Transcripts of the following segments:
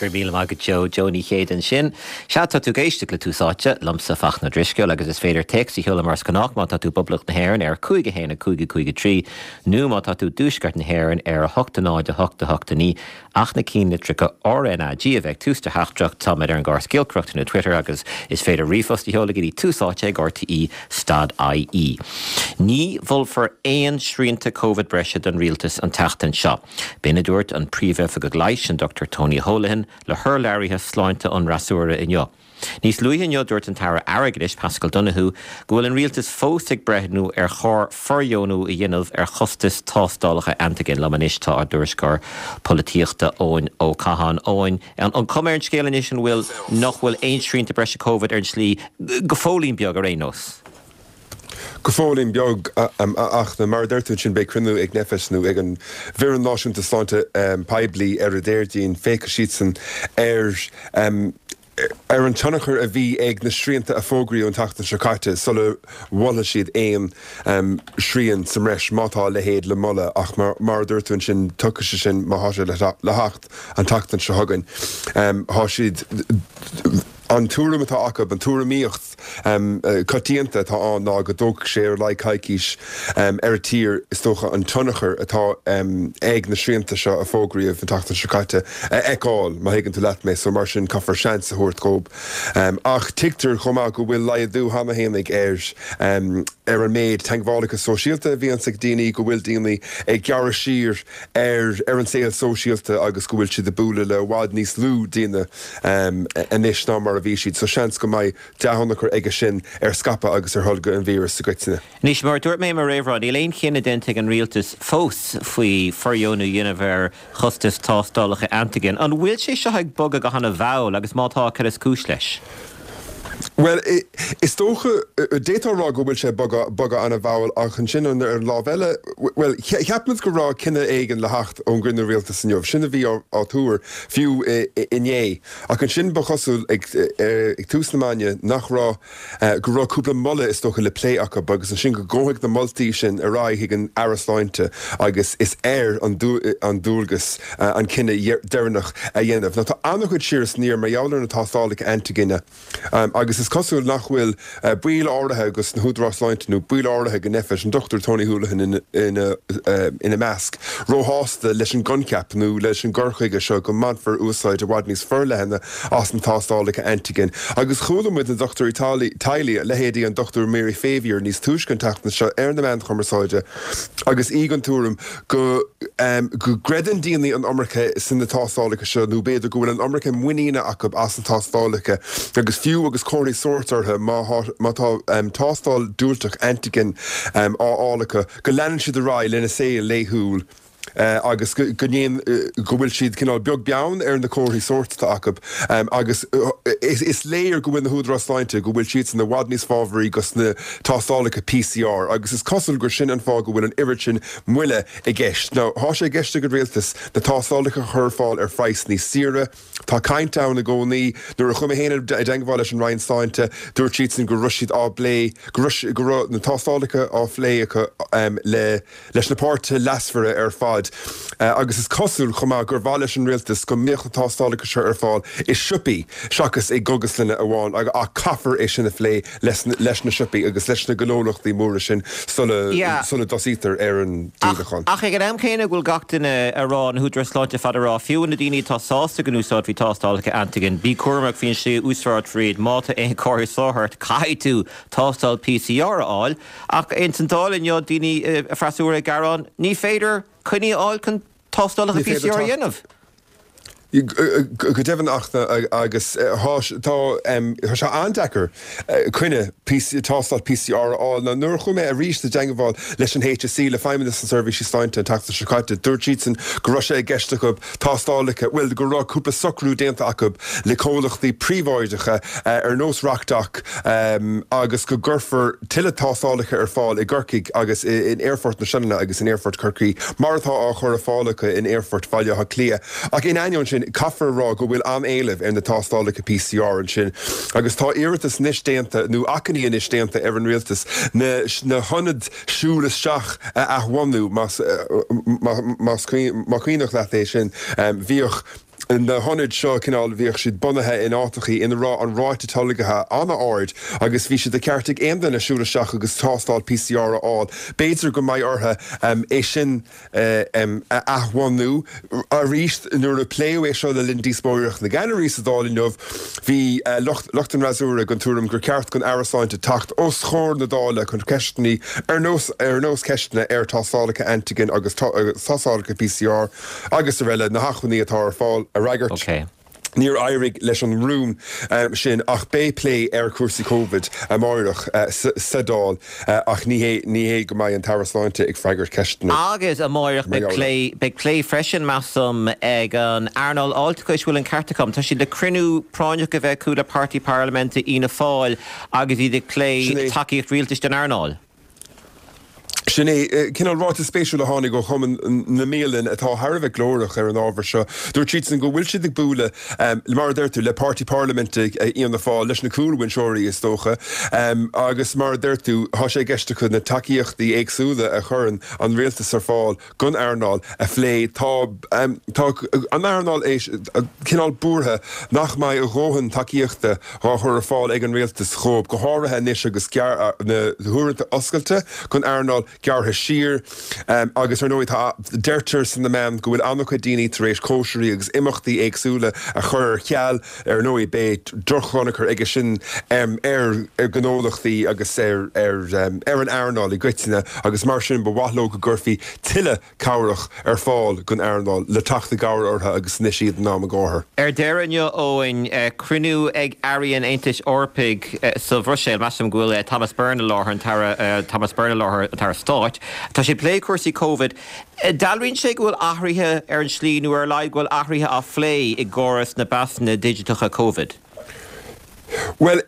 Go raibh míle maith agat Joe. Joe Ní Chéide ansin. Sea, tá tú ag éisteacht le Tús Áite, liomsa Fachtna Ó Drisceoil, agus is féidir téacs a sheoladh mar is gnách má tá tú i bPoblacht na hÉireann ar 5 1 5 5 3 nó má tá tú i dTuaisceart na hÉireann ar 8 0 8 8 9 ach na cinnlitreacha RnaG a bheith ag tús do theachtaireacht. Táimid ar an gcóras giolcaireachta nó Twitter agus is féidir ríomhphost a sheoladh go dtí túsáite ag rte stad ie. Ní mholfar aon srianta Covid breise don rialtas an tseachtain seo. B'in a dúirt an Príomhoifigeach Leighis, an Dr Tony Holohan, le hurlabhraithe sláinte an fhreasúra inniu. Níos luaithe inniu dúirt an tAire Airgeadais, Paschal Donohoe, go bhfuil an rialtas fós ag breithniú ar chóir fordheonú a dhéanamh ar chostas tástálacha antaigin. Liom anois tá ár dtuairisceoir polaitíochta Eoin Ó Catháin. Eoin, an cuma ar an scéal anois an bhfuil nach bhfuil aon srianta breise Covid ar an tslí, go fóillín beag ar aon nós? Go fóillín beag, ach mar a deir tú ansin, beidh cruinniú ag Nphet nó ag an bhFoireann Náisiúnta Sláinte Poiblí ar an Déardaoin. Féachfaidh siadsan ar ar an tionchar a bhí ag na srianta a fógraíodh an tseachtain seo caite sula mholfaidh siad aon srian sa mbreis, má tá a leithéid le moladh. Ach mar a dúirt tú ansin, tiocfaidh sé sin, má thá sé le theacht, an tseachtain seo chugainn. Thá siad. An tuairim atá acu, an tuairimíocht coitianta atá ann ná go dtógfaidh sé ar a laghad coicís ar an tír, is dócha, an tionchar atá ag na srianta seo a fógraíodh an tseachtain seo caite a fheiceáil, má thuigeann tú leat mé. So mar sin, caithfear seans a thabhairt dhób. Ach tuigtear chomh maith go bhfuil laghdú cheana fhéinig ar ar an méid teagmhálacha sóisialta a bhíonns ag daoine, go bhfuil daoine ag gearradh siar ar ar an saol sóisialta agus go bhfuil siad ag bualadh le i bhfad níos lú daoine. anois ná mar a bhí siad, so seans go mbeidh dea-thionchar aige sin ar scaipeadh agus ar tholgadh an víris i gcoitinne. Anois, mar a dúirt mé i mo réamhrá, níl aon chinneadh déanta ag an rialtas fós faoi fordheonú a dhéanamh ar chostas tástálacha antaigin. An bhfuil sé seo ag bogadh go hana-mhall agus má tá, cad is cúis leis? Bhuel, is dócha, d'fhéadfá a rá go bhfuil sé ag bogadh an-mhall ach ansin ar an lámh eile, bhuel, cheap muid go raibh cinneadh éigin le theacht ón gcruinniú rialtais inniu, sin a bhí á tuar fiú inné. Ach ansin ba chosúil ag tús na maidine nach raibh, go raibh cúpla moladh is dócha le plé acu agus ansin go ngabhfaidh na moltaí sin ar aghaidh chuig an Aire Sláinte agus is air an dualgas an cinneadh deireanach a dhéanamh. Now tá an-chuid siar is aniar mar gheall ar na tástálacha antaigine agus is cosúil nach bhfuil baill áirithe de na húdaráis sláinte nó baill áirithe de Nphet, an Dr Tony Holohan ina measc, róshásta leis an gcoincheap nó leis an gcur chuige seo go mbainfear úsáid i bhfad níos forleithne as na tástálacha antaigin. Agus chuala muid na dochtúirí teaghlaigh, leithéidí an Dr Mary Favier níos túisce an tseachtain seo ar na meáin chumarsáide agus í den tuairim go go gcreideann daoine an iomarca sna tástálacha seo nó b'fhéidir go bhfuil an iomarca muiníne acu as na tástálacha agus fiú agus comharthaí sóirt orthu má tá tástáil diúltach antigen á fháil acu go leanann siad ar aghaidh lena saol laethúil agus go ndéan go bhfuil siad cineál beag beann ar na comharthaí sóirt atá acu agus is léir go bhfuil na húdaráis sláinte go bhfuil siadsan i bhfad níos fábharaí dos na tástálacha PCR agus is cosúil gur sin an fáth go bhfuil an oiread sin moille i gceist. Now, thá sé i gceist ag an Rialtas na tástálacha a chur ar fáil ar phraghas níos saoire. Tá caint ann i gcónaí. Nuair a chuaigh mé féin i dteangmháil leis an Roinn Sláinte, dúirt siadsan go raibh siad á bplé, go raibh, go raibh na tástálacha á phlé acu le, leis na páirtithe leasmhara ar fad. Agus is cosúil chomh maith gur mhaith leis an Rialtas go mbeadh na tástálacha seo ar fáil i siopaí seachas i gcógaslanna amháin ach caithfear é sin a phlé leis na siopaí agus leis na gnólachtaí móra sin sula dtosaítear ar an díolachán. Ach ag an am céanna go bhfuil gach duine a rá, na húdaráis sláinte ar fad a rá, fiú na daoine atá sásta go n-úsáidfí tástálacha antigen, bí cúramach faoin slí a úsáidfear iad, má tá aon chomhartha sóirt ort, caithfidh tú tástáil PCR a fháil. Ach ins an Dáil inniu, daoine freasúra ag gearán, ní féidir coinní a fháil chun tástálacha PCR a dhéanamh. Go deimhin ach agus tá sé an-deacair coinne tástáil PCR a fháil. Now nuair a chuaigh mé arís i dteangmháil leis an HSE, le Feidhmeannas na Seirbhísí Sláinte an tseachtain seo caite, dúirt siadsan go raibh sé i gceist acu tástálacha, bhuel go raibh cúpla socrú déanta acu le comhlachtaí príobháideacha ar nós RocDoc agus go gcuirfear tuilleadh tástálacha ar fáil i gCorcaigh agus in Aerfort na Sionainne agus in Aerfort Chorcaí, mar atá á chur ar fáil acu in Aerfort Bhaile Átha Cliath. Ach in ainneoin sin, caithfear a rá go bhfuil an-éileamh ar na tástálacha PCR ansin agus tá iarratas anois déanta, nó achainí anois déanta ar an Rialtas na hionaid siúl isteach a athbhunú, más cuimhneach leat é sin. Bhíodh. Na hionaid seo, cineál, bhíodh siad bunaithe in áiteachaí ina raibh an ráite tolgaithe an-ard agus bhí sé de cheart ag aon duine siúl isteach agus tástáil PCR a fháil. B'fhéidir go mbeidh orthu é sin a athbhunú arís. Nuair a pléadh é seo le linn díospóireacht na gceannairí sa Dáil inniu, bhí lucht an fhreasúra den tuairim gur ceart don Aire Sláinte teacht os comhair na Dála chun ceisteanna ar nós ar nós ceisteanna ar thástálacha antigen agus tástálacha PCR agus araile, na hacmhainní atá ar fáil a fhreagairt. Níor éirigh leis an rún sin ach beidh plé ar chúrsaí Covid amáireach sa Dáil ach ní hé ní hé go mbeidh an tAire Sláinte ag freagairt ceisteanna Agus amáireach mar beidh gheall plé air. beidh plé freisin, measaim, ag an earnáil fháilteachais, bhfuil an ceart agam? Tá siad le cruinniú práinneach a bheith acu le páirtí parlaiminte Fhianna Fáil agus iad ag plé Sin é. tacaíocht rialtais don earnáil. Sin é cineál ráiteas spéisiúil a tháinig ó Chumann na mBialann atá thar a bheith glórach ar an ábhar seo. Dúirt siadsan go bhfuil siad ag bualadh, mar a deir tú, le páirtí parlaiminte Fhianna Fáil, leis na cúlbhinseoirí is dócha, agus mar a deir tú, tá sé i gceist acu na tacaíochtaí éagsúla a chuireann an rialtas ar fáil don earnáil a phlé. Tá tá an earnáil cineál buartha nach mbeidh a dhóthain tacaíochta dhá chur ar fáil ag an rialtas dhóibh, go háirithe anois agus na huaireanta oscailte don earnáil gearrtha siar. Agus ar ndóigh tá, deirtear sna meáin go bhfuil an-chuid daoine tar éis cóisirí agus imeachtaí éagsúla a chur ar ceal. Ar ndóigh beidh drochthionchar aige sin ar ghnólachtaí agus ar ar an earnáil i gcoitinne agus mar sin ba mhaith leo go gcuirfí tuilleadh cabhrach ar fáil don earnáil le teacht i gcabhair orthu agus anois iad in am a gcárthair. Ar deireadh inniu, Eoin, cruinniú ag Airí an Aontais Eorpaigh sa Bhruiséil. Measaim go bhfuil Thomas Byrne i láthair, an tAire Thomas Byrne i láthair, an tAire Stáit. Tá sé ag plé cúrsaí Covid. Dealraíonn sé go bhfuil athruithe ar an slí, nó ar a laghad go bhfuil athruithe á phlé i gcóras na bpasanna digiteacha Covid. Bhuel,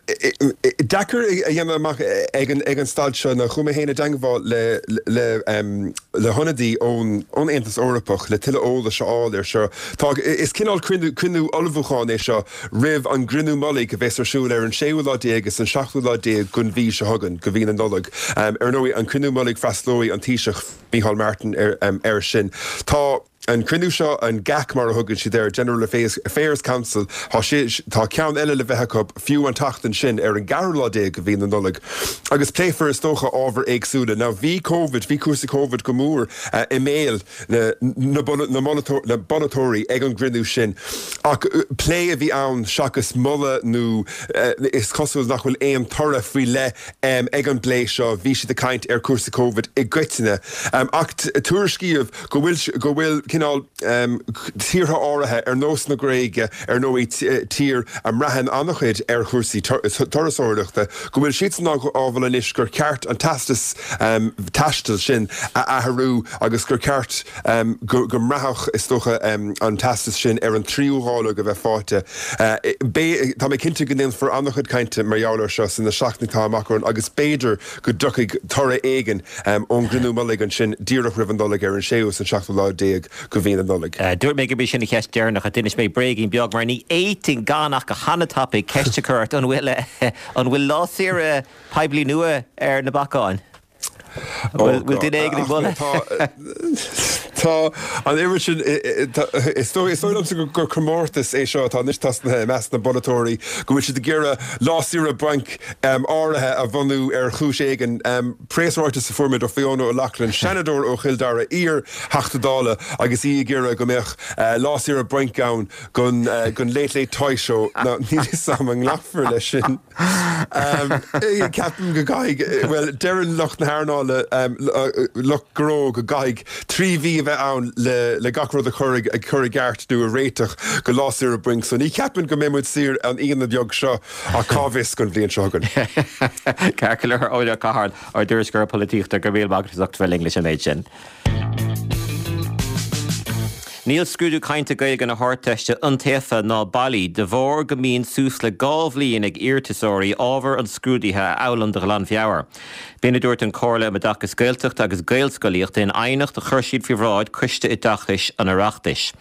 deacair a dhéanamh amach ag an staid seo. Now, chuaigh mé féin i dteangmháil le le hionadaí ón Aontas Eorpach le tuilleadh eolais a fháil ar seo. Tá, is cineál cruinniú ullmhúcháin é seo roimh an gcruinniú mullaigh a bheas ar siúl ar an séú lá déag is an seachtú lá déag den mhí seo chugainn, de mhí na Nollag. Ar ndóigh, an cruinniú mullaigh freastalóidh an Taoiseach. Micheál Martin air sin. Tá an cruinniú seo, an GAC mar a thugann siad air, General Affairs Council, tá sé, tá ceann eile le bheith acu fiú an tseachtain sin ar an gceathrú lá déag de mhí na Nollag agus pléifear is dócha ábhair éagsúla. Now bhí Covid, bhí cúrsaí Covid go mór i mbéal na na bpolaiteoirí ag an gcruinniú sin ach plé a bhí ann seachas moladh nó is cosúil nach bhfuil aon toradh faoi leith Ag an bplé seo bhí siad ag caint ar chúrsaí Covid i gcoitinne ach tuairiscíodh go bhfuil go bhfuil cineál tíortha áirithe ar nós na Gréige, ar ndóigh tír a mbraitheann an-chuid ar chúrsaí turasóireachta, go bhfuil siadsan á mholadh anois gur cheart an teastas taistil sin a athrú agus gur cheart go mbraithfeadh is dócha an teastas sin ar an tríú dháileog a bheith faighte. Beidh, tá mé cinnte go ndéanfar an-chuid cainte mar gheall air seo sna seachtainí atá amach romhainn agus b'fhéidir go dtiocfaidh toradh éigin ón gcruinniú mullaigh ansin díreach roimh an Nollaig ar an séú is an seachtú lá déag de mhí na Nollag. Dúirt mé gurb í sin an cheist dheireanach ach d'inis mé bréigín beag mar ní fhéadfainn gan ach go han-tapaidh ceist a chur ort, an bhfuil, an bhfuil lá saoire poiblí nua ar na bacáin? Bhfuil duine éigin ag moladh? Tá an oiread sin, is dóigh liomsa gur comórtas é seo atá anois tosnaithe i measc na bpolaiteoirí, go bhfuil siad ag iarraidh lá saoire bainc áirithe a bhunú ar chúis éigin. Preasráiteas a fuair muid ó Fiona O'Loughlin, Seanadóir ó Chill Dara, iar-Theachta Dála, agus í ag iarraidh go mbeadh lá saoire bainc ann don Late Late Toy Show. Now, níl fhios a'm an nglacfar leis sin. Ceapaim go gcaithfidh, bhuel, deireann lucht na hearnála, lucht gnó go gcaithfidh 3 mhí a bheith ann le gach rud a chur i gceart nó a réiteach go lá saoire bainc. So ní cheapaim go mbeidh muid saor an Aoine beag seo ach cá bhfios don bhliain seo chugainn. Ceart go leor, Eoin Ó Catháin, ár dtuairisceoir polaitíochta, go raibh míle maith agat as ucht a bheith linn leis an méid sin. Níl scrúdú cainte Gaeilge na hArdteiste iontaofa ná bailí de bharr go mbíonn suas le 2 bhliain ag iarratasóirí ábhar an scrúdaithe a fhoghlaim de ghlanmheabhair. B'in a dúirt an Chomhairle um Oideachas Gaeltachta agus Gaelscolaíochta in aighneacht a chuir siad faoi bhráid Coiste Oideachais an Oireachtais.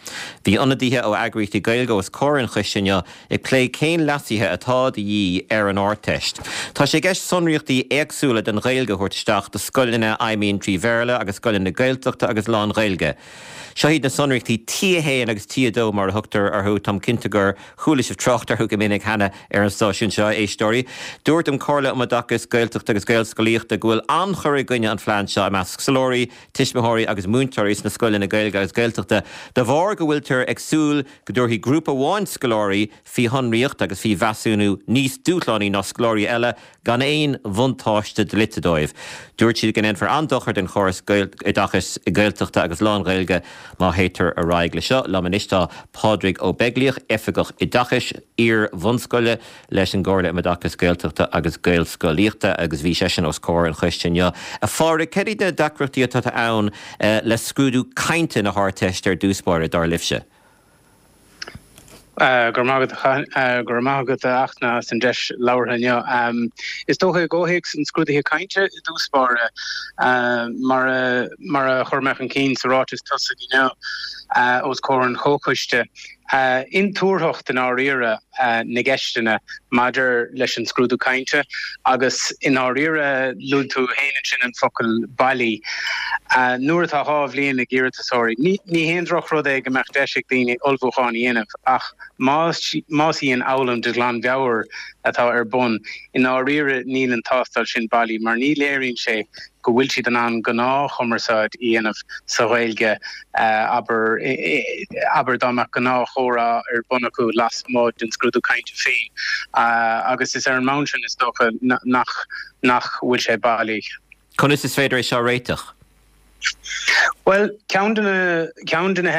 Bhí ionadaithe ó eagraíochtaí Gaeilge os comhair an choiste inniu ag plé cén leasuithe atá de dhíth ar an Ardteist. Tá sé i gceist sonraíochtaí éagsúla don Ghaeilge a thabhairt isteach do scoileanna a fheidhmíonn trí Bhéarla agus scoileanna Gaeltachta agus lán-Ghaeilge. Seo iad na sonraíochtaí. sonraíochtaí T1 agus T2 mar a thugtar orthu. Táim cinnte gur chuala sibh trácht orthu go minic cheana ar an stáisiún seo, a éisteoirí. Dúirt an Chomhairle um Oideachas Gaeltachta agus Gaelscolaíochta go bhfuil an-chur i gcoinne an phlean seo i measc scoláirí, tuismitheoirí agus múinteoirí sna scoileanna Gaeilge agus Gaeltachta de bharr go bhfuiltear ag súil go dtabharfaí grúpa amháin scoláirí faoi shonraíocht agus faoi mheasúnú níos dúshlánaí ná scoláirí eile gan aon bhuntáiste dlite dóibh. Dúirt siad go ndéanfar an-dochar don chóras oideachais Gaeltachta agus lán-Ghaeilge má théitear ar aghaidh leis seo. Liom anois tá Pádraig Ó Beaglaoich, Oifigeach Oideachais Iar-bhunscoile leis an gComhairle um Oideachas Gaeltachta agus Gaelscolaíochta agus bhí seisean os comhair an choiste inniu. A Phádraig, cad iad na deacrachtaí atá ann le scrúdú cainte na hArdteiste ar dtús báire, dar libhse? Go raibh maith agat, go raibh maith agat a Fhachtna as an deis labhartha inniu. Is dócha i gcomhthéacs an scrúdaithe cainte i dtús báire, mar a mar a chuir mé chun cinn sa ráiteas tosaigh inniu os comhair an chomhchoiste, intuarthacht i ndáiríre na gceisteanna maidir leis an scrúdú cainte agus i ndáiríre luaigh tú féin ansin an focal bailí. Nuair atá 2 bhliain ag iarratasóirí, ní haon drochrud é go mbeadh deis ag daoine ullmhúchán a dhéanamh ach más í an fhoghlaim de ghlanmheabhair atá ar bun, i ndáiríre níl an tástáil sin bailí mar ní léiríonn sé go bhfuil siad in ann gnáthchumarsáid a dhéanamh sa Ghaeilge, abair, abair dá mbeadh gnáthchomhrá ar bun acu lasmuigh den scrúdú cainte féin. Agus is ar an mbonn sin, is dócha, nach nach bhfuil sé bailí. Conas is féidir é seo a réiteach? Bhuel, ceann de na, ceann de na,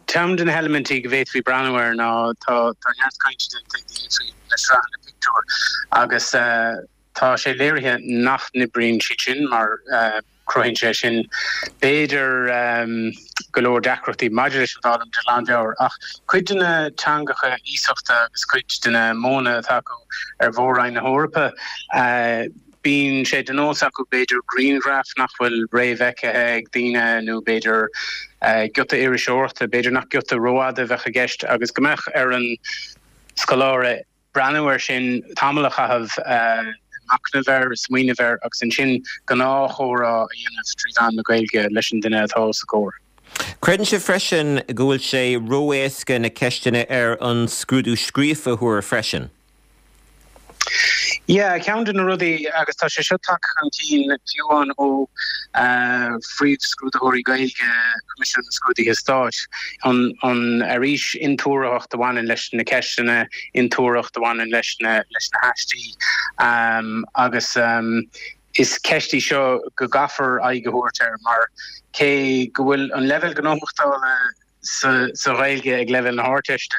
ceann de na heilimintí go bhféadfaí breathnú air ná tá, tá neart cainte déanta ag daoine faoi na sraitheanna pictiúr agus, Tá sé léirithe nach n-oibríonn siad sin mar cruthaíonn sé sin b'fhéidir go leor deacrachtaí maidir leis an bhfoghlaim de ghlanmheabhair. Ach cuid de na teangacha iasachta agus cuid de na modhanna atá acu ar mhór-roinn na hEorpa, bíonn sé de nós acu b'fhéidir grianghraif nach bhfuil réamhfheicthe ag daoine nó b'fhéidir giota iriseoireachta, b'fhéidir nach giota rófhada a bheadh i gceist agus go mbeadh ar an scoláire breathnú air sin, tamall a chaitheamh ag machnamh air, ag smaoineamh air agus ansin gnáthchomhrá a dhéanamh trí mheán na Gaeilge leis an duine atá os a gcomhair. Creideann sibh freisin go bhfuil sé ró-éasca na ceisteanna ar an scrúdú scríofa a thuar freisin? Yeah, ceann de na rudaí, agus tá sé seo tagtha chun cinn fiú amháin ó phríomhscrúdaitheoirí Gaeilge Choimisiún na Scrúduithe Stáit, an, an, arís, intuarthacht a bhaineann leis na ceisteanna, intuarthacht a bhaineann leis na, leis na haistí. Agus is ceist í seo go gcaithfear aghaidh a thabhairt air mar cé go bhfuil an leibhéal gnóthachtála sa, sa Ghaeilge ag leibhéal na hArdteiste,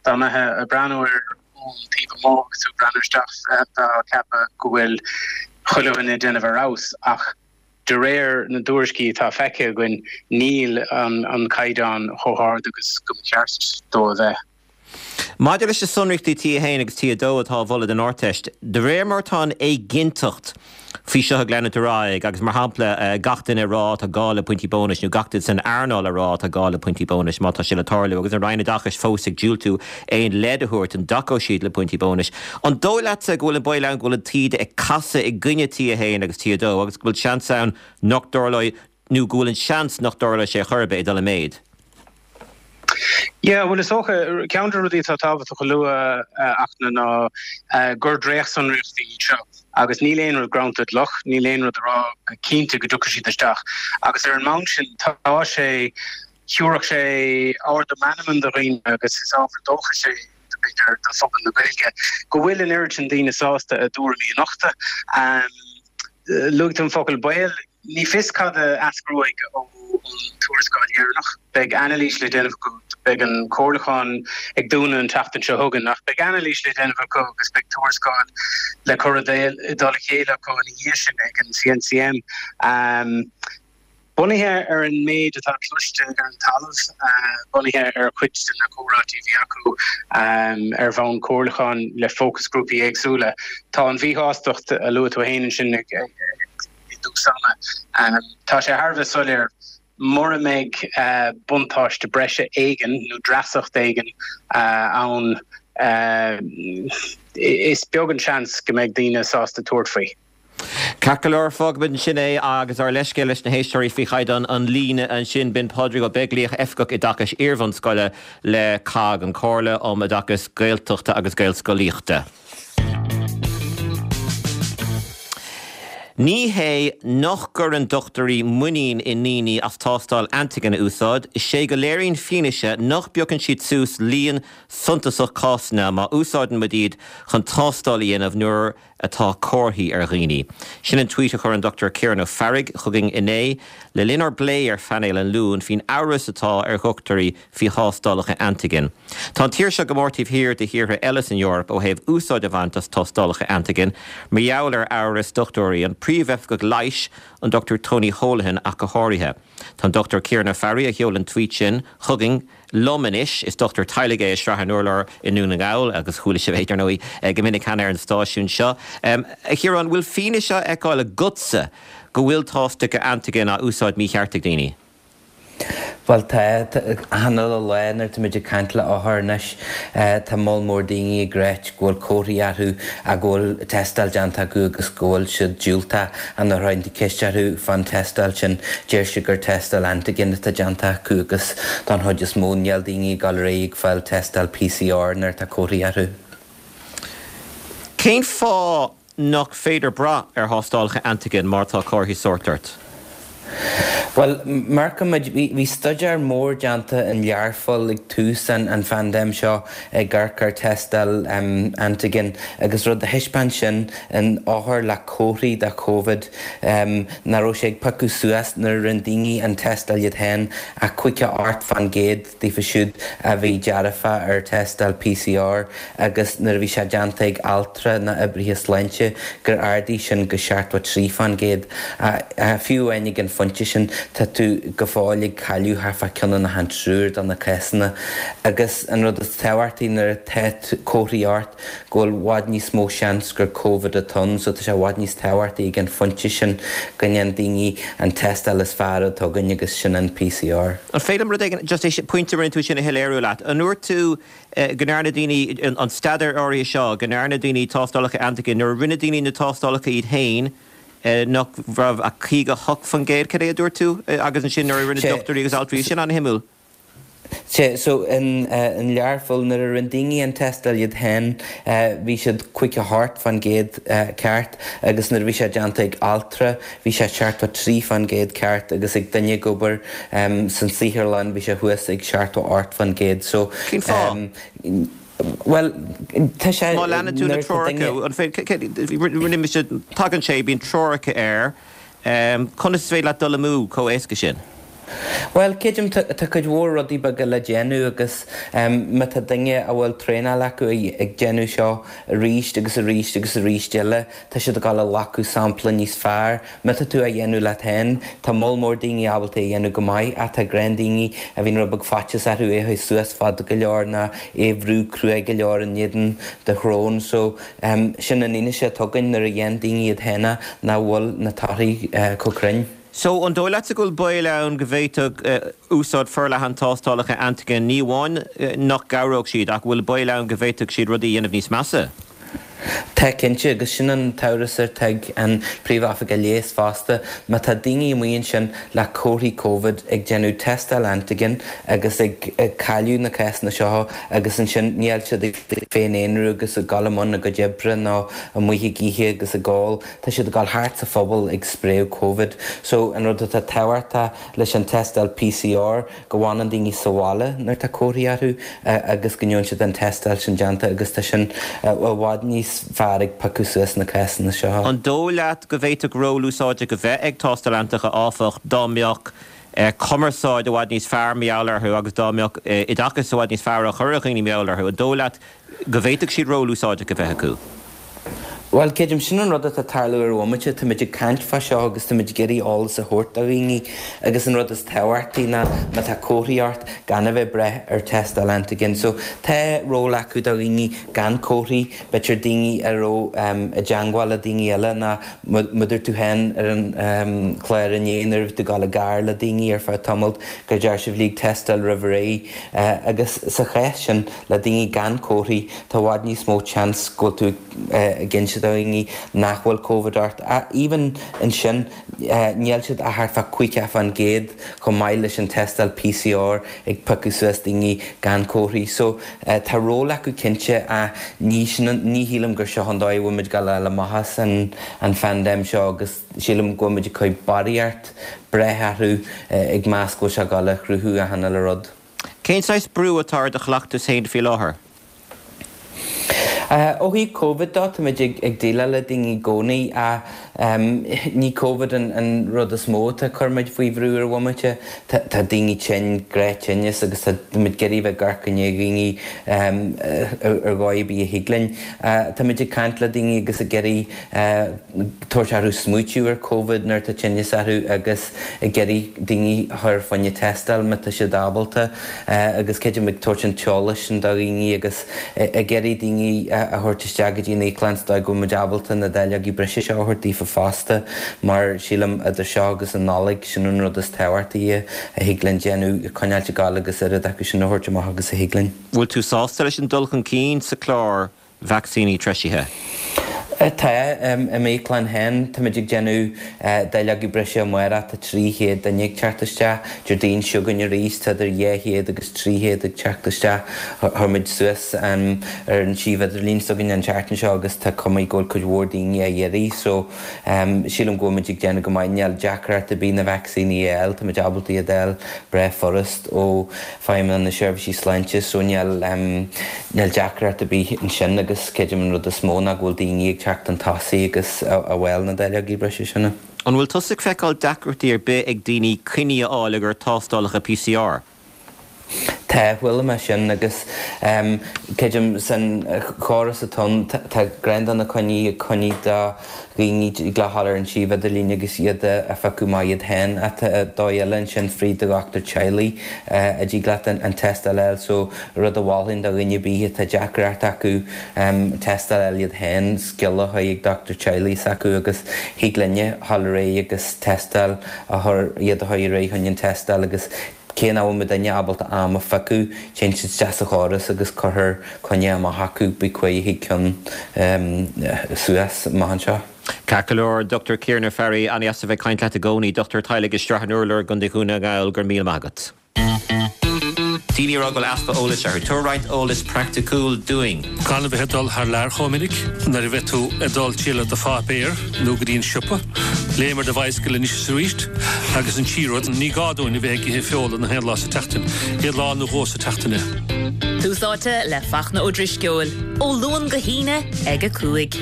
dá mbeifeá ag breathnú air ón taobh amuigh agus tú ag breathnú isteach bheifeá ag ceapadh go bhfuil chuile dhuine ag déanamh ar fheabhas ach De réir na dtuairiscí atá feicthe againn, níl an caighdeán chomh hard agus go mba cheart dó a bheith. Maidir leis na sonraíochtaí T1 agus T2 atá á mholadh don Ardteist, de réir mar atá an éiginnteacht faoi seo ag leanúint ar aghaidh agus, mar shampla, gach duine ag rá tá gá le pointí bónais nó gach duine san earnáil ag rá tá gá le pointí bónais má tá sé le tarlú agus an Roinn Oideachais fós ag diúltú aon leid a thabhairt an dtacóidh siad le pointí bónais, an dóigh leatsa go bhfuil an baol ann go bhfuil an taoide ag casadh i gcoinne T1 agus T2 agus go bhfuil seans ann nach dtarlóidh nó go bhfuil an seans nach dtarlóidh sé chor ar bith ag dul i méid? Yeah, bhuel is dócha, ceann de na rudaí atá tábhachtach a lua, a Fhachtna, ná gur dréachtsonraíochtaí iad seo agus níl aon rud greanta i gcloch, níl aon rud ag rá go cinnte go dtiocfaidh siad isteach agus ar an mbonn sin tá sé, thabharfadh sé ardú meanman do dhaoine agus is ábhar dóchais é b'fhéidir do phobal na Gaeilge go bhfuil an oiread sin daoine sásta a dtuairimí a nochtadh. Luaigh tú an focal baol. Ní fios cad a eascróidh ón tuarascáil dheireanach. Beidh anailís le déanamh acu. Beidh an comhairliúchán ag dúnadh an tseachtain seo chugainn ach beidh anailís le déanamh acu agus beidh tuarascáil le cur i dtoll a chéile acu ina dhiaidh sin ag an CNCM. Bunaithe ar an méid atá cloiste ar an talamh, bunaithe ar chuid de na comhráití a bhí acu ar bhonn comhairliúcháin le fócasghrúpaí éagsúla, tá an mhíshástacht a luaigh tú féin ansin ag i dtús ama. Tá sé thar a bheith soiléir, mura mbeidh buntáiste breise éigin nó dreasacht éigin ann, is beag an seans go mbeidh daoine sásta tabhairt faoi. Ceart go leor, fágfaimid ansin é agus ár leithscéal leis na héisteoirí faoi chaighdeán an líne ansin. B'in Pádraig Ó Beaglaoich, Oifigeach Oideachais Iarbhunscoile le COGG, an Comhairle um Oideachas Gaeltachta agus Gaelscolaíochta. Ní hé nach gcuireann dochtúirí muinín i ndaoine as tástáil antigen a úsáid, is é go léiríonn fianaise nach bpiocann siad suas líon suntasach cásanna má úsáideann muid iad chun tástáil a dhéanamh nuair atá comharthaí ar dhaoine. Sin an tweet a chuir an Dr Ciarán Ó Fearraigh chugainn inné le linn ár bplé ar phainéal an Luain faoin amhras atá ar dhochtúirí faoi thástálacha antigen. Tá an tír seo go mór taobh thiar de thíortha eile san Eoraip ó thaobh úsáid a bhaint as tástálacha antigen mar gheall ar amhras dochtúirí, an príomhoifigeach leighis, an Dr Tony Holohan ach go háirithe. Tá an Dr Ciarán Ó Fearraigh a sheol an tweet sin chugainn, liom anois. Is dochtúir teaghlaigh é i Srath an Urláir i nDún na nGall agus chuala sibh é, dar ndóigh, go minic cheana ar an stáisiún seo. A Chiaráin, bhfuil fianaise á fheiceáil agatsa go bhfuil tástálacha antigen á úsáid mícheart ag daoine? Bhuel, tá. Achan uile lá nuair atáimid ag caint le othair anois, tá moll mór daoine ag ráit go bhfuil comharthaí orthu ach go bhfuil tástáil déanta acu agus go bhfuil siad diúltach. Ach nuair a chuireann tú ceist orthu fán tástáil sin, deir siad gur tástáil antigen atá déanta acu agus don chuid is mó níl daoine ag dul ar aghaidh ag fáil tástáil PCR nuair atá comharthaí orthu. Cén fáth nach féidir brath ar thástálacha antigen má tá comharthaí sóirt ort? Bhuel, amharcaimid, bhí staidéar mór déanta in Learpholl ag tús an phaindéim seo ag amharc ar tástáil antigen agus rud a thaispeáin sin in othair le comharthaí de Covid nach raibh sé ag piocadh suas nuair a rinne daoine an tástáil iad féin ach 58% daofa siúd a bhí dearfa ar tástáil PCR agus nuair a bhí sé déanta ag altra nó oibrithe sláinte gur ardaigh sin go 73%. Fiú amháin ag an phointe sin tá tú go fóill ag cailleadh thart fá ceann ina cheann triúr de na cásanna agus an rud is tábhachtaí nuair atá comharthaí ort go bhfuil bhfad níos mó seans gur Covid atá ann so tá sé i bhfad níos tábhachtaí ag an phointe sin go ndéan daoine an tástáil is fearr atá againn agus sin an PCR. An féidir liom rud éigin, just é pointe a rinne tú sin a shoiléiriú leat. An ndúirt tú go ndearna daoine, an staidéar áirithe seo, go ndearna daoine tástálacha antigen, nuair a rinne daoine na tástálacha iad féin, nach raibh ach 58%, cad é a dúirt tú? Agus ansin nuair a rinne dochtúirí agus altraí, sin an-shuimiúil. Sea, so in Learpholl nuair a rinne daoine an tástáil iad féin bhí siad 58% ceart agus nuair a bhí sé déanta ag altra bhí sé 73% ceart agus ag duine ag obair san saotharlann bhí sé thuas ag 78%. So Cén fáth? Bhuel, tá sé Má leanann tú na nuair atá duine. treoracha, an féidir, rinne mise, tagann sé, bíonn treoracha air, Conas is féidir leat dul amú chomh éasca sin? Bhuel, creidim, tá cuid mhór rudaí beaga le déanamh agus má tá duine a bhfuil traenáil acu ag déanamh seo arís agus arís agus arís eile, tá siad ag dul a ghlacadh sampla níos fearr. Má tá tú á dhéanamh leat féin, tá moll mór daoine ábalta é a dhéanamh go maith ach tá gnáthdhaoine a bhíonn rud beag faitíos orthu é a chur suas fada go leor nó é a bhrú cruaidh go leor in éadan do shrón. So, Sin an fhianaise atá againn nuair a dhéan daoine iad féin nach bhfuil na torthaí chomh cruinn. So, an dóigh leatsa go bhfuil baol ann go bhféadfadh úsáid forleathan tástálacha antigen ní amháin nach gcabhródh siad ach bhfuil baol ann go bhféadfadh siad rudaí a dhéanamh níos measa? Tá cinnte, agus sin an t-amhras atá ag an Príomh-Oifigeach Leighis fosta. Má tá daoine amuigh ansin le comharthaí Covid ag déanamh tástáil antigen agus ag cailleadh na cásanna seo agus ansin níl siad ag féin-aonrú agus ag dul i mbun a gcuid oibre nó amuigh ag ithe agus ag ól, tá siad ag dul thart sa phobal ag spréadh Covid. So an rud atá tábhachtach leis an tástáil PCR go bhfanann daoine sa bhaile nuair atá comharthaí orthu agus go ndéanann siad an tástáil sin déanta agus tá sin i bhfad níos fearr ag piocadh suas na cásanna seo. An dóigh leat go bhféadfadh ról úsáideach a bheith ag tástáil antigen áfach dá mbeadh cumarsáid i bhfad níos fearr mar gheall orthu agus dá mbeadh oideachas i bhfad níos fearr á chur ar dhaoine mar gheall orthu? An dóigh leat go bhféadfadh siad ról úsáideach a bheith acu? Bhuel, creidim, sin an rud atá ag tarlú ar an bhomaite. Táimid ag caint fá seo agus táimid ag iarraidh eolas a thabhairt do dhaoine agus an rud is tábhachtaí ná má tá comharthaí ort gan a bheith ag brath ar tástáil antigen. So, tá ról acu do dhaoine gan comharthaí, b'fhéidir daoine a raibh i dteangmháil le daoine eile nó mar a dúirt tú féin ar an chlár inné nuair a bhí tú ag dul i gcarr le daoine ar feadh tamaill gur deir sibh lig tástáil roimh ré agus sa chás sin le daoine gan comharthaí tá i bhfad níos mó seans go bhfuil tú ag inse. do dhaoine nach bhfuil Covid ort. Even ansin, níl siad ach thart fá 50% chomh maith leis an tástáil PCR ag piocadh suas daoine gan comharthaí. So, tá ról acu cinnte ach ní sin an, ní shílim gur seo an dóigh a bhfuil muid ag gabháil a fháil amach as an an phaindéim seo agus sílim go bhfuil muid ag cur barraíocht breith orthu ag meas go bhfuil sé ag gabháil a chruthú achan uile rud. Cén saghas brú atá ar do chleachtas féin faoi láthair? Ó thaobh Covid dó, táimid ag déileáil le daoine i gcónaí ach ní Covid an rud is mó atá ag cur muid faoi bhrú ar an bhomaite. Tá daoine tinn, gnáth-tinneas agus táimid ag iarraidh bheith ag amharc i ndiaidh dhaoine ar dhóigh ar bith a thig linn. Táimid ag caint le daoine agus ag iarraidh tabhairt orthu smaoitiú ar Covid nuair atá tinneas orthu agus ag iarraidh daoine a chur fá choinne tástáil má tá siad ábalta agus creidim ag tabhairt an t-eolas sin do dhaoine agus ag iarraidh daoine a thabhairt isteach go dtí an íoclann sa dóigh go bhfuil muid ábalta na dáileogaí breise seo a thabhairt daofa fosta mar sílim idir seo agus an Nollaig sin an rud is tábhachtaí a thig linn déanamh, coinneáilt ag gabháil agus oiread acu sin a thabhairt amach agus a thig linn. Bhfuil tú sásta leis an dul chun cinn sa chlár vacsaíní treisithe? Tá. I m'íoclann féin, táimid ag déanamh dáileogaí breise amárach, tá 300 duine ag teacht isteach. Déardaoin seo chugainn arís, tá idir 200 agus 300 ag teacht isteach. Chuir muid suas ar an suíomh idirlín s'againn an tseachtain seo agus tá cuma go bhfuil cuid mhór daoine á iarraidh. So, sílim go bhfuil muid ag déanamh go maith. Níl deacracht ar bith na vacsaíní a fháil, táimid ábalta iad a fháil breá furast ó Feidhmeannacht na Seirbhísí Sláinte so níl níl deacracht ar bith ansin agus creidim an rud is mó ná go bhfuil daoine ag teacht chun tosaigh agus a fháil na dáileogaí breise sin. An bhfuil tusa ag feiceáil deacrachtaí ar bith ag daoine coinní a fháil i gcomhair tástálacha PCR? Tá, chuala mé sin agus creidim san chóras atá ann tá gnáth do na coinní ag coinní do dhaoine ag gabháil ar an suíomh idirlín agus iad a phiocadh amach iad féin ach tá dóigh eile ansin fríd do dhochtúir teaghlaigh a dtig leat an tástáil a fháil so rud a mholfainn do dhuine ar bith atá deacracht acu tástáil a fháil iad féin scéala a chur chuig dochtúir teaghlaigh s'acu agus thig linne dhul ar aghaidh agus tástáil a chur iad a chur ar aghaidh chun an tástáil agus Cé nach bhfuil muidinne ábalta am a phiocadh, téann siad isteach sa chóras agus cuirtear coinne amach acu, bí cuí chuig ceann suas amach anseo. Ceart go leor, Dr Ciaran Ó Fearraigh, an-dheas a bheith ag caint leat i gcónaí. Dochtúir teaghlaigh i Srath an Urláir i gContae Dhún na nGall, go raibh míle maith agat. Daoine ag rá go bhfuil easpa eolais orthu. Tabhair roinnt eolas praiticiúil dúinn. Gan a bheith ag dul thar lear chomh minic nuair a bheidh tú ag dul triall ar do pháipéar nó go dtí an siopa. Léim ar do bhicycle anois is arís. Agus an tríú rud, ní gá dúinn a bheith ag ithe feola na haon lá sa tseachtain, aon lá nó dhó sa tseachtain é. Tús Áite le Fachtna Ó Drisceoil, ó Luan go hAoine ag 5.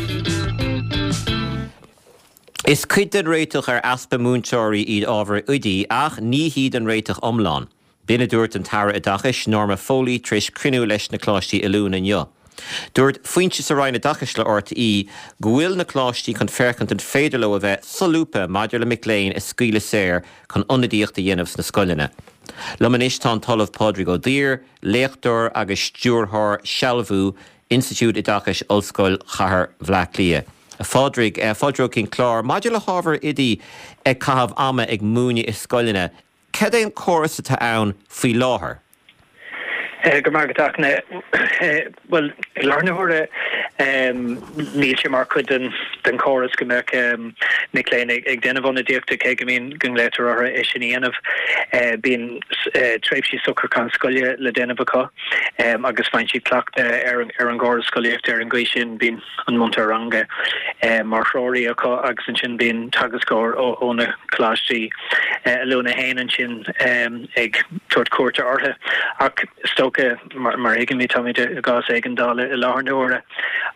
Is cuid den réiteach ar easpa múinteoirí iad ábhair oidí ach ní hiad an réiteach iomlán. B'in a dúirt an tAire Oideachais, Norma Foley, tar éis cruinniú leis na Coláistí Oiliúna inniu. Dúirt foinse sa Roinn Oideachais le RTÉ go bhfuil na coláistí chun féachaint an féidir leo a bheith solúbtha maidir le mic léinn a scaoileadh saor chun ionadaíocht a dhéanamh sna scoileanna. Liom anois tá an tOllamh Pádraig Ó Duibhir, léachtóir agus Stiúrthóir Sealbhú, Institiúid Oideachais Ollscoil Chathair Bhaile Átha Cliath. A Phádraig, fáilte romhat chuig an chlár. Maidir le hábhair oidí ag caitheamh ama ag múineadh i scoileanna, Cad é an córas atá ann faoi láthair? Go raibh maith agat, a Fhachtna. Bhuel, i láthair na huaire, níl sé mar chuid den chóras go mbeadh mic léinn ag déanamh ionadaíochta, cé go mbíonn, go nglaotar orthu é sin a dhéanamh. Bíonn tréimhsí socrúchán scoile le déanamh acu agus faigheann siad cleachtadh ar an gcóras scolaíochta ar an gcaoi sin. Bíonn an múinteoir ranga mar threoraí acu agus ansin bíonn teagascóir ó na coláistí oiliúna féin ansin ag tabhairt cuairte orthu. Ach is dócha, mar a thuigimid, táimid i gcás éigeandála i láthair na huaire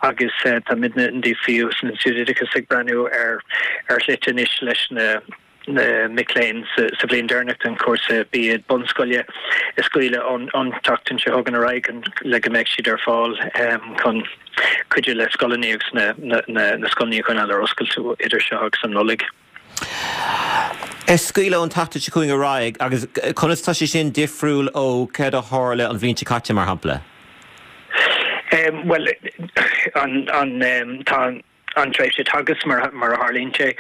agus táimidne in DCU san Institiúid Oideachais ag breathnú ar ar shlite anois leis na na mic léinn sa bhliain deireanach den chúrsa B.Ed bunscoile a scaoileadh ón tseachtain seo chugainn ar aghaidh le go mbeidh siad ar fáil chun cuidiú le scoileanna agus na scoileanna a choinneáil ar oscailt idir seo agus an Nollaig. A scaoileadh ón tseachtain seo chugainn ar aghaidh agus conas tá sé sin difriúil ó céard a tharla an bhliain seo caite, mar shampla? Bhuel, an, an, tá. an tréimhse teagaisc mar a tharlaíonn sé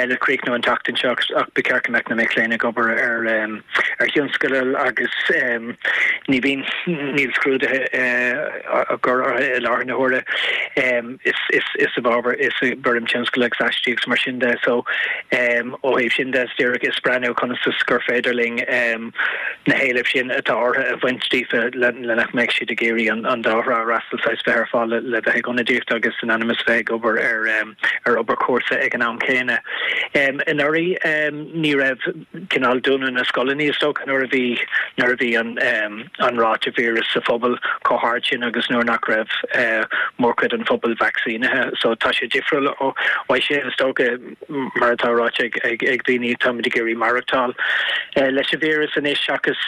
le críochnú an tseachtain seo ach ba cheart go mbeadh na mic léinn ag obair ar ar thionscadail agus ní bhíonn níl scrúduithe á gcur orthu i láthair na huaire. Is is is i bhfabhar is i bhfoirm tionscadail agus aistí agus mar sin de so ó thaobh sin de is díreach is breathnú conas is gur féidir linn na héilimh sin atá orthu a bhaint díofa le nach mbeadh siad ag iarraidh an dá thrá a fhreastal, saghas bheith ar fáil le bheith ag ionadaíocht agus in ainm is bheith ag obair ar ar obair chúrsa ag an am céanna. Anuraidh ní raibh cineál dúnadh na scoileanna is dócha nuair a bhí nuair a bhí an an ráta víreas sa phobal chomh hard sin agus nuair nach raibh mórchuid an phobail vacsaínithe. So tá sé difriúil ó uaidh sin is dócha. Mar atá ráite ag daoine, táimid ag iarraidh maireachtáil leis an víreas anois seachas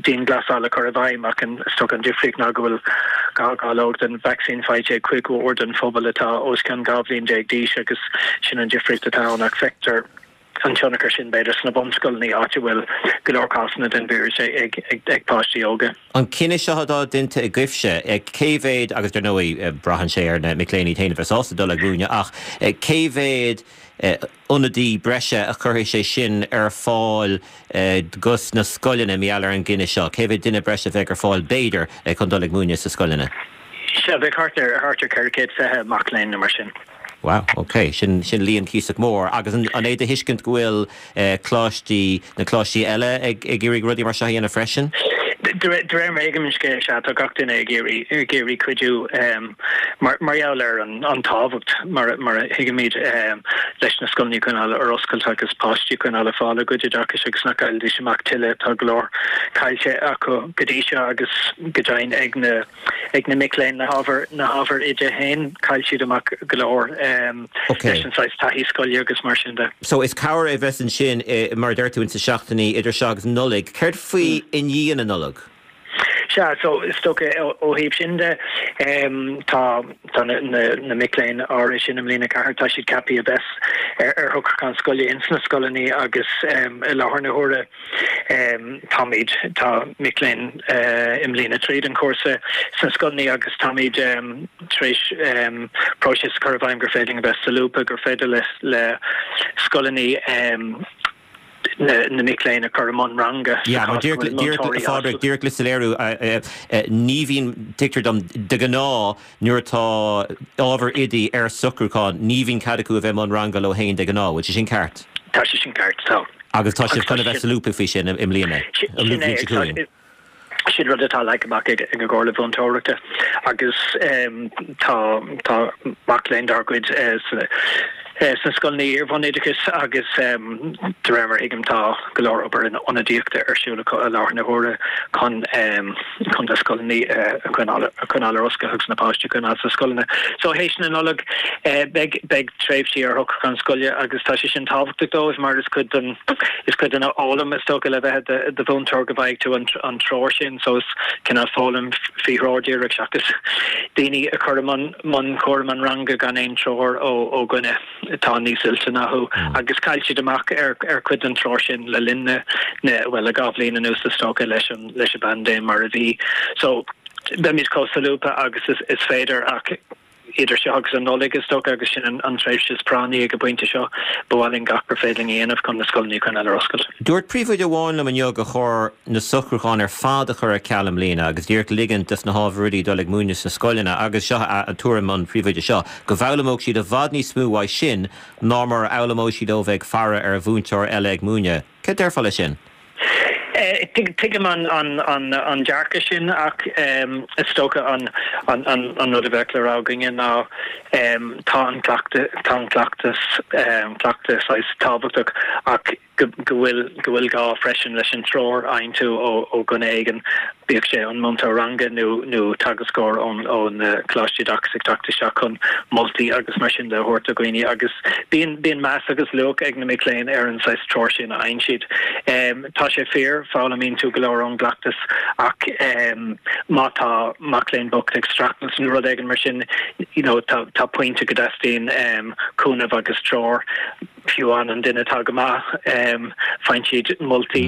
dianghlasáil a chur i bhfeidhm ach is dócha an difríocht ná go bhfuil dhá dháileog den vacsaín faighte ag cuid mhór den phobal atá os cionn 12 bhliain d'aois agus sin an difríocht atá ann ach feictear an tionchar sin b'fhéidir sna bunscoileanna áit a bhfuil go leor cásanna den víreas ag páistí óga. An cinneadh seo atá déanta agaibhse, cé mhéad, agus dar ndóigh braitheann sé ar na mic léinn iad féin a bheith sásta dul ag múineadh, ach cé mhéad ionadaí breise a chuirfidh sé sin ar fáil dos na scoileanna mar gheall ar an gcinneadh seo? Cé mhéad duine breise a bheidh ar fáil, b'fhéidir, chun dul ag múineadh sna scoileanna? Sea, bheadh thart ar 420 mac léinn nó mar sin. Wow, ok, sin, sin líon cuíosach mór. Agus an, an é do thuiscint go bhfuil eh, coláistí, na coláistí eile ag, ag iarraidh rudaí mar seo a dhéanamh freisin? De réir, de réir mar a thuigim an scéal, sea, tá gach duine ag iarraidh, ag iarraidh cuidiú em, mar, mar gheall ar an, an tábhacht, mar a, mar a thuigimid em, leis na scoileanna a choinneáil ar oscailt agus páistí a choinneáil ag fáil a gcuid oideachais agus nach gcaillfidís amach tuilleadh. Tá go leor caillte acu go dtí seo agus go deimhin ag na, ag na mic léinn na hábhair na hábhair oide féin, chaill siad amach go leor leis an saghas taithí scoile agus mar sin de. So is cabhair a bheas ansin, mar a deir tú, ins na seachtainí idir seo agus Nollaig. Céard faoi i ndiaidh na Nollag? Sea, so is dócha ó thaobh sin de, tá tá na na mic léinn áirithe sin i mbliain a ceathair, tá siad ceaptha a bheith ar ar shocrúchán scoile ins na scoileanna agus i láthair na huaire, Táimid, tá mic léinn i mbliain 3 den chúrsa sna scoileanna agus táimid tar éis próiseas a chur i bhfeidhm gur féidir linn a bheith solúbtha, gur féidir le scoileanna na mic léinn a chur i mbun ranga sa chás go bhfuil múinteoirí as. Phádraig, díreach le soiléiriú, ní bhíonn, tuigtear dom, de ghnáth nuair atá ábhar oidí ar socrúchán, ní bhíonn cead acu a bheith i mbun ranga leo féin de ghnáth, bhfuil sé sin ceart? Tá sé sin ceart, tá. Agus tá sibh chun a bheith solúbtha faoi sin i mbliana, an bhliain seo chugainn. Sin rud atá leagtha amach ag an gComhairle Mhúinteoireachta agus tá tá mac léinn dár gcuid sna scoileanna iar-bhunoideachais agus de réir mar a thuigim tá go leor obair ionadaíochta ar siúl acu i láthair na huaire chun chun na scoileanna a choinneáil a choinneáil ar oscailt agus na páistí a choinneáil sna scoileanna. So théis na Nollag beidh beidh tréimhsí ar shocrúchán scoile agus tá sé sin tábhachtach dóibh mar is cuid den is cuid den fhoghlaim is dócha le bheith i do mhúinteoir go bhfaighidh tú an an treoir sin so is cineál foghlaim faoi threoir díreach seachas daoine a chur i mbun mbun cúram an ranga gan aon treoir ó ó dhuine. atá níos oilte ná thú agus chaill siad amach ar ar chuid den treoir sin le linn na na bhuel le 2 bhliain anuas is dócha leis an leis an bpaindéim mar a bhí. So beimid chomh solúbtha agus is is féidir ach idir seo agus an Nollaig is dócha agus sin an an tréimhse is práinní ag an bpointe seo ba mhaith linn gach gur féidir linn a dhéanamh chun na scoileanna a choinneáil ar oscailt. Dúirt príomhoide amháin liom inniu gur chóir na socrúcháin ar fad a chur ar ceal i mbliana agus díreach ligint dos na hábhair oidí dul ag múineadh sna scoileanna agus seo a tuairim an phríomhoide seo, go bhfoghlaimeodh siad i bhfad níos mó uaidh sin ná mar a fhoghlaimeodh siad ó bheith ag faire ar mhúinteoir eile ag múineadh. Céard déarfá leis sin? Tuigim an dearcadh sin ach is dócha an rud a bheadh le rá againne ná tá an cleachtadh, tá an cleachtas, cleachtadh saghas tábhachtach ach go bhfuil go bhfuil gá freisin leis an treoir a fhaigheann tú ó ó dhuine éigin, bíodh sé an múinteoir ranga nó nó teagascóir ón ón Coláiste Oideachais ag teacht isteach chun moltaí agus mar sin de a thabhairt do dhaoine agus bíonn bíonn meas agus luach ag na mic léinn ar an saghas treoir sin a fhaigheann siad. Tá sé fíor, foghlaimíonn tú go leor ón gcleachtas ach má tá mac léinn bocht ag streachailt nó rud éigin mar sin you know tá tá pointe go dteastaíonn cúnamh agus treoir. Fiú amháin an duine atá go maith, faigheann siad moltaí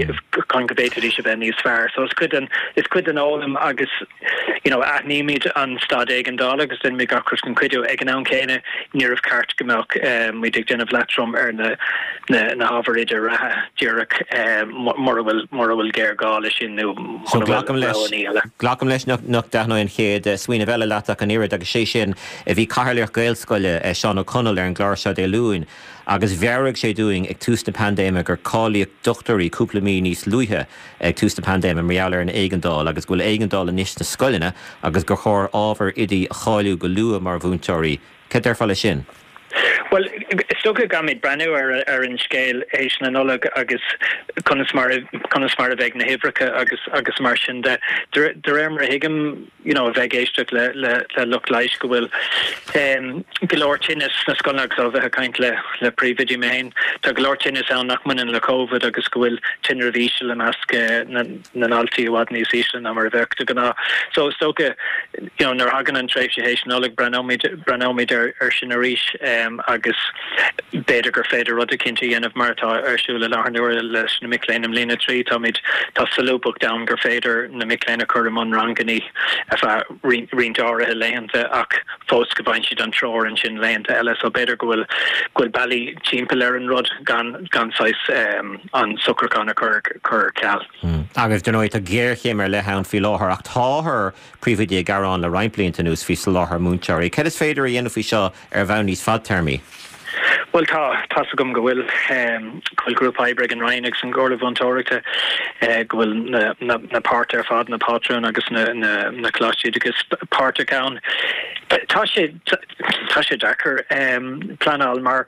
chun go bhféadfaidís a bheith níos fearr. So is cuid den, is cuid den fhoghlaim agus. you know, aithnímid an staid éigeandála agus déanaimid gach rud chun cuidiú. Ag an am céanna, níorbh ceart go mbeadh muid ag déanamh leatrom ar na na hábhair oide reatha díreach mura bhfuil mura bhfuil géarghá leis sin nó So mura bhfuil glacaim leis, roghanna eile. glacaim leis nach nach dtaitneoidh an chéad smaoineamh eile leat ach an oiread agus sé sin, bhí cathaoirleach Gaelscoile, Seán Ó Conaill, ar an gclár seo Dé Luain agus mheabhraigh sé dúinn ag tús na paindéime gur cáilíodh dochtúirí cúpla mí níos luaithe ag tús na paindéime mar gheall ar an éigeandáil agus go bhfuil éigeandáil anois sna scoileanna agus gur chóir ábhair oidí a cháiliú go luath mar mhúinteoirí. Cad déarfá leis sin? Bhuel, is dócha go gcaithfimid breathnú ar ar an scéal théis na Nollag agus conas mar conas mar a bheidh na huimhreacha agus agus mar sin de. De réir mar a thuigim, you know, a bheith ag éisteacht le le le lucht leighis go bhfuil go leor tinneas sna scoileanna agus ó bheith ag caint le le príomhoidí mé féin, tá go leor tinneas ann nach mbaineann le Covid agus go bhfuil tinreamh íseal i measc na na ndaltaí i bhfad níos ísle ná mar a bheadh de ghnáth. So is dócha, you know, nuair a thagann an tréimhse théis Nollag, breathnóimid, breathnóimid ar, ar sin arís agus b'fhéidir gur féidir rud eicínt a dhéanamh mar atá ar siúl i láthair na huaire leis na mic léinn i mbliain a 3. Táimid, tá solúbthacht ann gur féidir na mic léinn a chur i mbun rangannaí ar feadh roinnt, roinnt áirithe laethanta ach fós go bhfaigheann siad an treoir ansin laethanta eile. So b'fhéidir go bhfuil, go bhfuil bealaí timpeall ar an rud gan, gan saghas an socrúchán a chur, chur ar ceal. Agus, dar ndóigh, tá géarchéim ar leith ann faoi láthair, ach táthar, príomhoidí ag gearán le roinnt blianta anuas faoi soláthar múinteoirí. Cad is féidir a dhéanamh faoi seo ar bhonn níos fadtéarmaí? Bhuel, tá, tá's agam go bhfuil, go bhfuil grúpa oibre ag an Roinn agus an Chomhairle Mhúinteoireachta, go bhfuil na, na, na páirtithe ar fad, na pátrúin agus na, na, na coláistí oideachais páirteach ann. Tá sé, tá sé deacair pleanáil mar,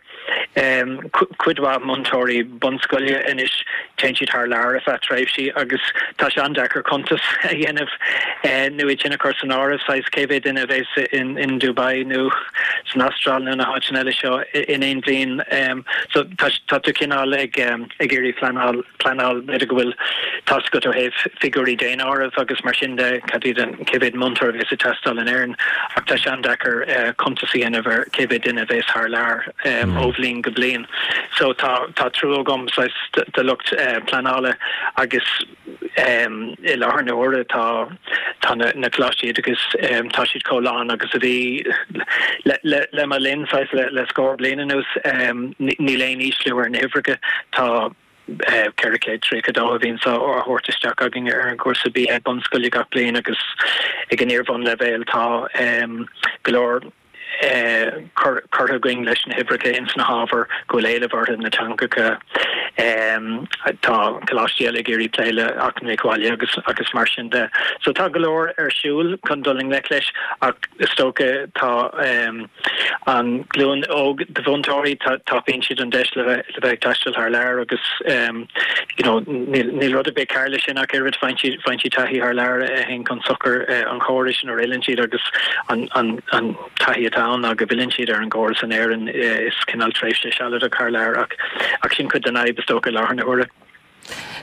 Cuid mhaith múinteoirí bunscoile anois, téann siad thar lear ar feadh tréimhsí agus tá sé an-deacair cuntas a dhéanamh nó iad sin a chur san áireamh, saghas cé mhéad duine a bheas in Dubai nó san Astráil nó na háiteanna eile seo in aon bhliain. So tá tú cineál ag iarraidh pleanáil. pleanáil, b'fhéidir go bhfuil tá's agat ó thaobh figiúirí daonáirimh agus mar sin de, cad iad an, cé mhéad múinteoir a bheas ag teastáil in Éirinn ach tá sé an-deacair cuntas a dhéanamh ar cé mhéad duine a bheas thar lear ó bhliain go bliain. So tá, tá trua agam saghas do lucht pleanála agus i láthair na huaire tá, tá na, na coláistí oideachais, tá siad chomh lán agus a bhí le, le, le mo linn saghas le, le scór bliain anuas, níl aon ísliú ar na huimhreacha, tá. 432 a bhíonn á thabhairt isteach againn ar an gcúrsa BA bunscoile gach bliain agus ag an iar-bhunleibhéal tá go leor curtha againn leis na huimhreacha ins na hábhair go bhfuil éileamh orthu, na teangacha. Tá coláistí eile ag iarraidh plé le eacnamaíocht bhaile agus agus mar sin de. So tá go leor ar siúl chun dul i ngleic leis ach is dócha tá An ghlúin óg de mhúinteoirí, tapaíonn siad an deis le bheith ag taisteal thar lear agus you know níl rud ar bith cearr leis sin ach oiread, faigheann siad faigheann siad taithí thar lear a théann chun sochair an chórais nuair a fhilleann siad agus an an an taithí atá ann ná go bhfilleann siad ar an gcóras in Éirinn is cineál tréimhse sealadach thar lear ach ach sin cuid den fhadhb is dócha i láthair na huaire.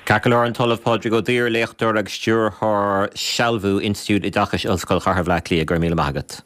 Ceart go leor, an tOllamh Pádraig Ó Duibhir, léachtóir agus stiúrthóir sealbhú Institiúid Oideachais Ollscoil Chathair Bhaile Átha Cliath, go raibh míle maith agat.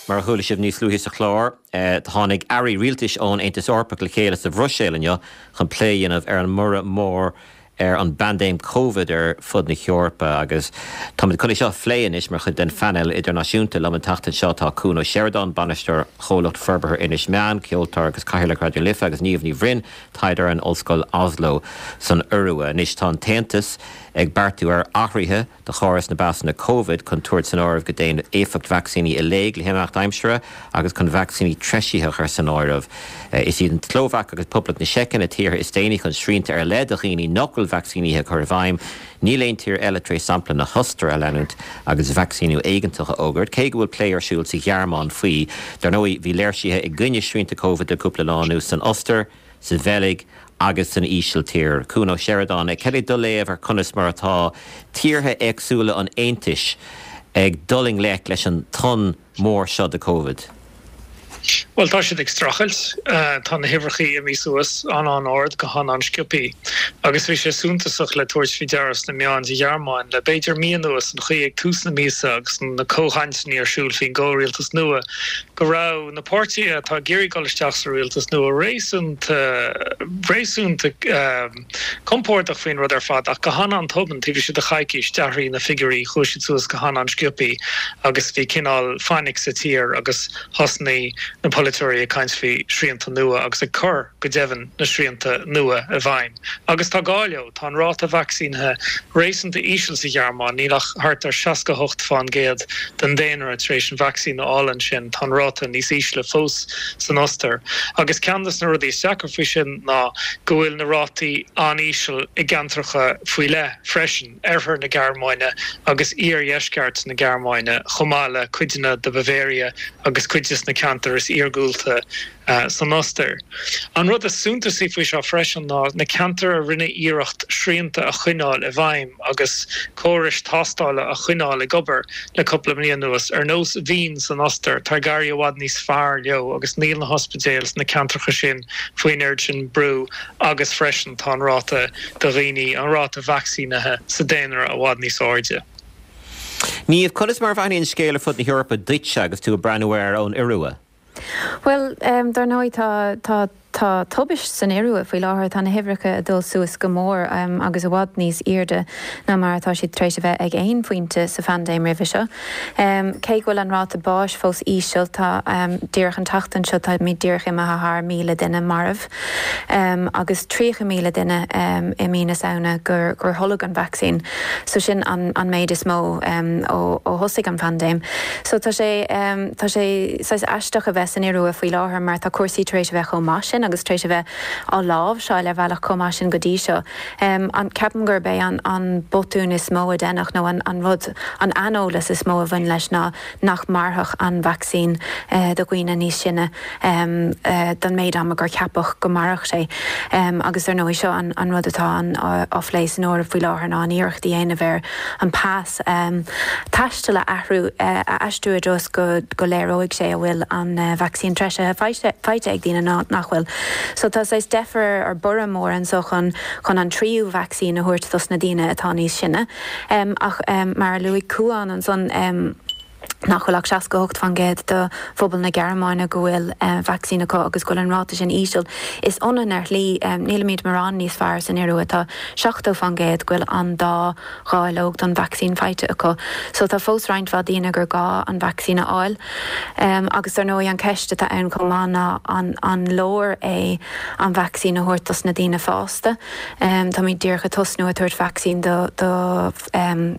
Mar a chuala sibh níos luaithe sa chlár, tháinig airí rialtais ón Aontas Eorpach le chéile sa Bhruiséil inniu chun plé a dhéanamh ar an mborradh mór ar an bpaindéim Covid ar fud na hEorpa agus táimid chun é seo a phlé anois mar chuid den phainéal idirnáisiúnta. Liom an tseachtain seo tá Cuan Ó Seireadáin, Bainisteoir Chomhlacht Forbartha Inis Meáin, ceoltóir agus Cathaoirleach Raidió na Life agus Niamh Ní Bhroin, taighdeoir in Ollscoil Oslo san Iorua. Anois tá an tAontas ag beartú ar athruithe do chóras na bpasanna Covid chun tabhairt san áireamh go dtéann éifeacht vacsaíní i léig le himeacht aimsire agus chun vacsaíní treisithe a chur san áireamh. Is iad an tSlóvaic agus Poblacht na Seice na tíortha is déanaí chun srianta ar leith do dhaoine nach bhfuil vacsaínithe a chur i bhfeidhm. Níl aon tír eile tar éis sampla na hOstaire a leanúint agus vacsaíniú éigeantach a fhógairt, cé go bhfuil plé ar siúl sa Ghearmáin faoi. Dar ndóigh, bhí léirsithe i gcoinne srianta Covid le cúpla lá anuas san Ostair, sa Bheilg agus san Ísiltír. Cuan Ó Seireadáin, cad é do léamh ar conas mar atá tíortha éagsúla an Aontais ag dul i ngleic leis an tonn mór seo de Covid? Bhuel, tá siad ag streachailt. Tá na huimhreacha imithe suas an-an-ard go han-an-sciobthaí. Agus bhí sé suntasach le tabhairt faoi deara sna meáin sa Ghearmáin le b'fhéidir mí anuas an chaoi ag tús na míosa agus na comhchainteanna ar siúl faoin gcomhrialtas nua. go raibh na páirtithe atá ag iarraidh dul isteach sa rialtas nua réasúnta, réasúnta compordach faoin rud ar fad ach go han-an-tobann, taobh istigh de choicís, d'athraigh na figiúirí, chuaigh siad suas go han-an-sciobthaí agus bhí cineál fainic sa tír agus thosnaigh na polaiteoirí ag caint faoi shrianta nua agus ag cur, go deimhin, na srianta nua i bhfeidhm. Agus tá gá leo. Tá an ráta vacsaínithe réasúnta íseal sa Ghearmáin, níl ach thart ar 68 fán gcéad den daonra tar éis an vacsaín a fháil ansin, tá an ráta níos ísle fós san Ostair. Agus ceann de na rudaí is deacra faoi sin ná go bhfuil na rátaí an-íseal i gceantracha faoi leith freisin, oirthear na Gearmáine agus iardheisceart na Gearmáine, chomh maith le cuideanna de Bavaria agus cuid de na ceantair is iargúlta. san Ostair. An rud is suntasaí faoi seo freisin ná na ceantair a rinne iarracht srianta a choinneáil i bhfeidhm agus córais tástála a choinneáil ag obair le cúpla bliain anuas, ar nós Vín san Ostair, tá ag éirí i bhfad níos fearr leo agus níl na hospidéil sna ceantracha sin faoin oiread sin brú agus freisin tá an ráta de dhaoine, an ráta vacsaínithe sa daonra i bhfad níos airde. Niamh, conas mar a bhreathnaíonn an scéal ar fud na hEorpa duitse agus tú ag breathnú air ón Iorua? Bhuel, dar ndóigh, tá, tá, tá tubaist san Iorua faoi láthair. Tá na huimhreacha ag dul suas go mór agus i bhfad níos airde ná mar atá siad tar éis a bheith ag aon phointe sa phaindéim roimhe seo. Cé go bhfuil an ráta báis fós íseal, tá, díreach an tseachtain seo, táimid díreach imithe thar 1,000 duine marbh agus 30,000 duine i mí na Samhna gur, gur tholg an vacsaín. So sin an, an méid is mó ó, ó thosaigh an phaindéim. So tá sé, tá sé saghas aisteach a bheith san Iorua faoi láthair mar tá cúrsaí tar éis a bheith chomh maith sin agus tar éis a bheith á láimhseáil ar bhealach chomh maith sin go dtí seo. An, ceapaim gurb é an, an botún is mó a deineadh nó an, an rud, an aineolas is mó a bhain leis ná nach mairfeadh an vacsaín do dhaoine níos sine. don méid ama gur ceapadh go mairfeadh sé. Agus dar ndóigh seo an rud atá á phlé san Eoraip faoi láthair ná an iarracht a dhéanamh ar an pas taistil a athrú, a aistriú i dtreo is go go léireoidh sé an bhfuil an vacsaín treisithe faighte ag daoine nó nach bhfuil. So tá saghas deifir or borradh mór anso chun chun an tríú vacsaín a thabhairt dos na daoine atá níos sine. Ach mar a luaigh Cuán ansan, nach bhfuil ach 68% de phobal na Gearmáine go bhfuil vacsaín acu agus go bhfuil an ráta sin íseal. Is ionann ar shlí, nílimid mórán níos fearr san Iorua, tá 70% go bhfuil an dá dháileog don vacsaín faighte acu. So tá fós roinnt mhaith daoine gur gá an vacsaín a fháil. Agus dar ndóigh an ceist atá ann chomh maith ná an an leor é an vacsaín a thabhairt dos na daoine fásta? Táimid díreach ag tosnú ag tabhairt vacsaín do do.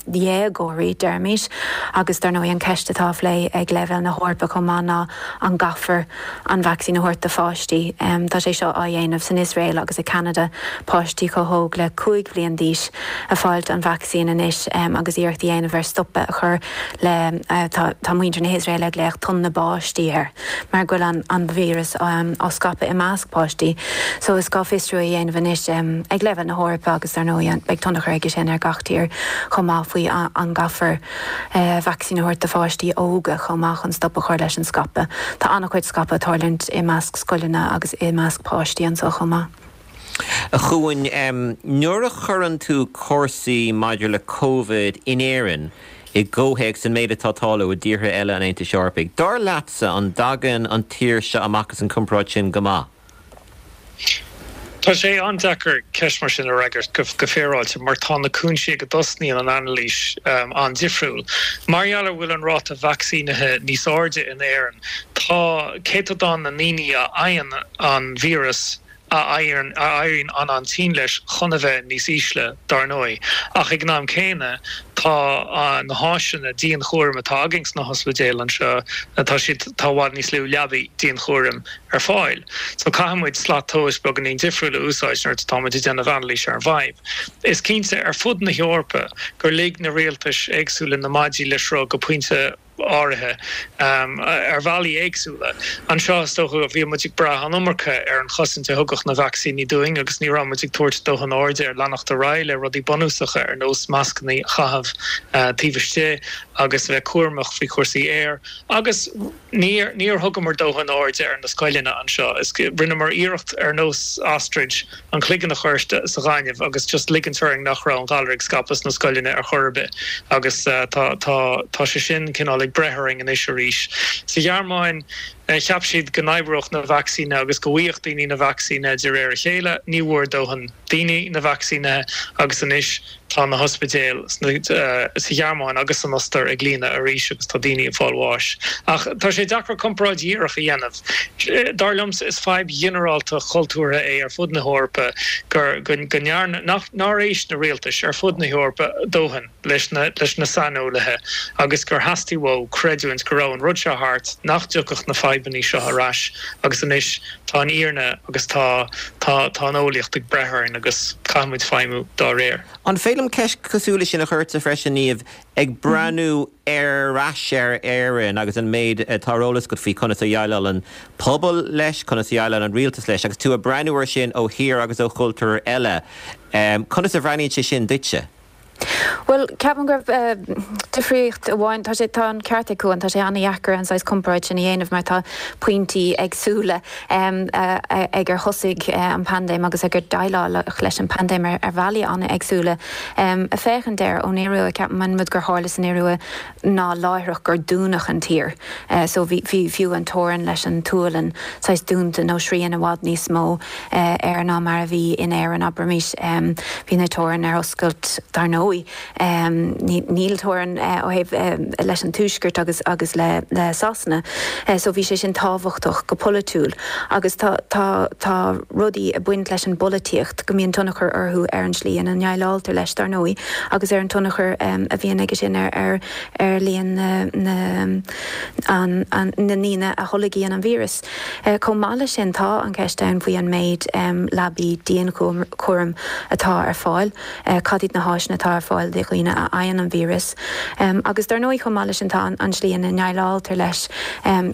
dhéagóirí, deirimis, agus dar ndóigh an ceist atá á phlé ag leibhéal na hEorpa chomh maith ná an gcaithfear an vacsaín a thabhairt do pháistí. Tá sé seo á dhéanamh san Iosrael agus i Ceanada, páistí chomh hóg le 5 bhliain d'aois ag fáilt an vacsaín anois agus iarracht a dhéanamh ar stopadh a chur le, tá muintir na hIosraeile ag glaoch tonn na báistí air. mar go bhfuil an víreas á scaipeadh i measc páistí. So is gá fiosrú a dhéanamh anois ag leibhéal na hEorpa agus dar ndóigh beidh tionchar aige sin ar gach tír chomh maith faoi an gcaithfear vacsaín a thabhairt do pháistí óga chomh maith chun stop a chur leis an scaipeadh. Tá an-chuid scaipeadh ag tarlúint i measc scoileanna agus i measc páistí anseo chomh maith. A Chuain, nuair a chuireann tú cúrsaí maidir le Covid in Éirinn i gcomhthéacs an méid atá ag tarlú i dtíortha eile an Aontais Eorpaigh, dar leatsa an dtagann an tír seo amach as an gcomparáid sin go maith? Tá sé an-deacair ceist mar sin a fhreagairt go féaráilte mar tá na cúinsí ag a dtosnaíonn an anailís an-difriúil. Mar gheall ar bhfuil an ráta vacsaínithe níos airde in Éirinn, tá céatadán na ndaoine a fhaigheann an víreas, a éiríonn an-an-tinn leis chun a bheith níos ísle, dar ndóigh. Ach ag an am céanna, tá na háiseanna dianchúraim atá againn sna hospidéil anseo, tá siad, tá i bhfad níos lú leabaí dianchúraim ar fáil. So caithfidh muid slat tomhais beagáinín difriúil a úsáid nuair atá muid ag déanamh anailís ar an bhfadhb. Is cinnte, ar fud na hEorpa, gur lig na rialtais éagsúla na maidí le sruth go pointe, áirithe, ar bhealaí éagsúla. Anseo, is dócha, bhí muid ag brath an iomarca ar an chosaint a thugadh na vacsaíní dúinn agus ní raibh muid ag tabhairt dóthain airde ar leanacht ar aghaidh le rudaí bunúsacha ar nós mascanna a chaitheamh taobh istigh agus a bheith cúramach faoi chúrsaí aeir agus níor níor thugamar dóthain airde ar na scoileanna anseo. Is rinneamar iarracht ar nós ostrich an cloigeann a chur sa ghaineamh agus just ligint orainn nach raibh an galar ag scaipeadh sna scoileanna ar chor ar bith agus tá tá tá sé sin cineál ag. ag breith orainn anois arís. Sa Ghearmáin, cheap siad go n-oibreodh na vacsaíní agus go bhfaigheadh daoine na vacsaíní de réir a chéile. Ní bhfuair dóthain daoine na vacsaínithe agus anois tá na hospidéil sa Ghearmáin agus san Ostair ag líonadh arís agus tá daoine ag fáil bháis. Ach tá sé deacair comparáid dhíreach a dhéanamh. Dar liomsa is fadhb ghinearálta chultúrtha é ar fud na hEorpa gur go ndearna, nár éist na rialtais ar fud na hEorpa dóthain leis na leis na saineolaithe agus gur theastaigh uathu creidiúint go raibh an rud seo thart, nach dtiocfadh na fadhbanna seo ar ais agus anois tá an fhírinne agus tá tá tá an eolaíocht ag breith orainn agus caithfimid feidhmiú dá réir. An féidir liom ceist cosúil leis sin a chur ortsa freisin, Niamh, ag breathnú ar ais ar Éirinn agus an méid atá ar eolas agat faoi conas a dhéileáil an pobal leis, conas a dhéileáil an rialtas leis, agus tú ag breathnú air sin ó thír agus ó chultúr eile, conas a bhreathnaíonn sé sin duitse? Bhuel, ceapaim go raibh difríocht amháin, tá sé, tá an ceart ag Cuan, tá sé an-dheacair an saghas comparáid sin a dhéanamh mar tá pointí éagsúla ag ar thosaigh an paindéim agus ag ar déileáladh leis an bpaindéim ar bhealaí an-éagsúla. Ag féachaint air ón Iorua, ceapaim an rud gur tharla san Iorua ná láithreach gur dúnadh an tír. So bhí, bhí fiú an teorainn leis an tSualainn saghas dúnta nó srian i bhfad níos mó. air ná mar a bhí in Éirinn, abraimis. Bhí na teorainn ar oscailt, dar ndóigh. Níl teorainn ó thaobh leis an Tuaisceart agus agus le le Sasana. So bhí sé sin tábhachtach go polaitiúil. Agus tá tá tá rudaí ag baint leis an bpolaitíocht go mbíonn tionchar orthu ar an slí ina ndéileáiltear leis, dar ndóigh, agus ar an tionchar a bhíonn aige sin ar ar ar líon na na an an na ndaoine a tholgaíonn an víreas. Chomh maith leis sin, tá an cheist ann faoi an méid leabaí dianchúraim atá ar fáil, cad iad na háiseanna atá ar fáil do dhaoine a fhaigheann an víreas. Agus dar ndóigh, chomh maith leis sin, tá an slí ina ndéileáiltear leis,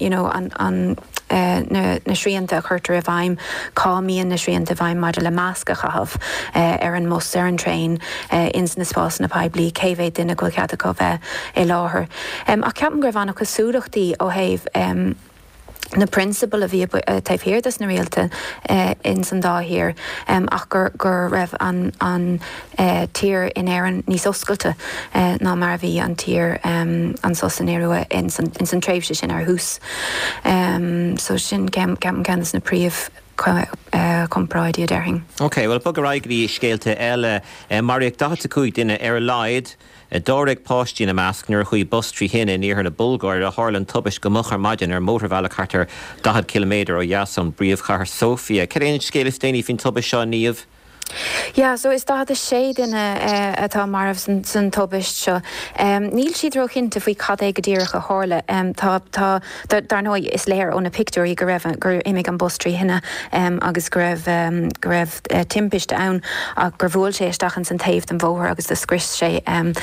you know an na srianta a chuirtear i bhfeidhm, cá mbíonn na srianta i bhfeidhm maidir le masc a chaitheamh ar an mbus, ar an traein, ins na spásanna poiblí, cé mhéad duine go bhfuil cead acu bheith i láthair. Ach ceapaim go raibh an-chosúlachtaí ó thaobh. na prionsabail a bhí taobh thiar des na rialtais ins an dá thír ach gur go raibh an an tír in Éirinn níos oscailte ná mar a bhí an tír anso san Iorua ins an ins an tréimhse sin ar thús. So sin ceapaim ceann des na príomh chomparáidí a déarfainn. Ok, bhuel bog ar aghaidh go dtí scéalta eile. Maraíodh 45 duine ar a laghad Dáréag páistí ina measc nuair a chuaigh bus trí thine in iarthar na Bulgáire. Tharla an tubaist go moch ar maidin ar mhótarbhealach thart ar 40 ciliméadar ó dheas ón bpríomhchathair Sóifia. Cad é an scéal is déanaí faoin tubaist seo, Niamh? Yeah, so is 46 duine atá marbh san tubaist seo. Níl siad róchinnte faoi cad é go díreach a tharla. Tá, tá, dar ndóigh, is léir ó na pictiúirí go raibh, gur imigh an bus trí thine agus go raibh, go raibh, timpiste ann ach gur bhuail sé isteach ins an taobh den bhóthar agus do scrios sé an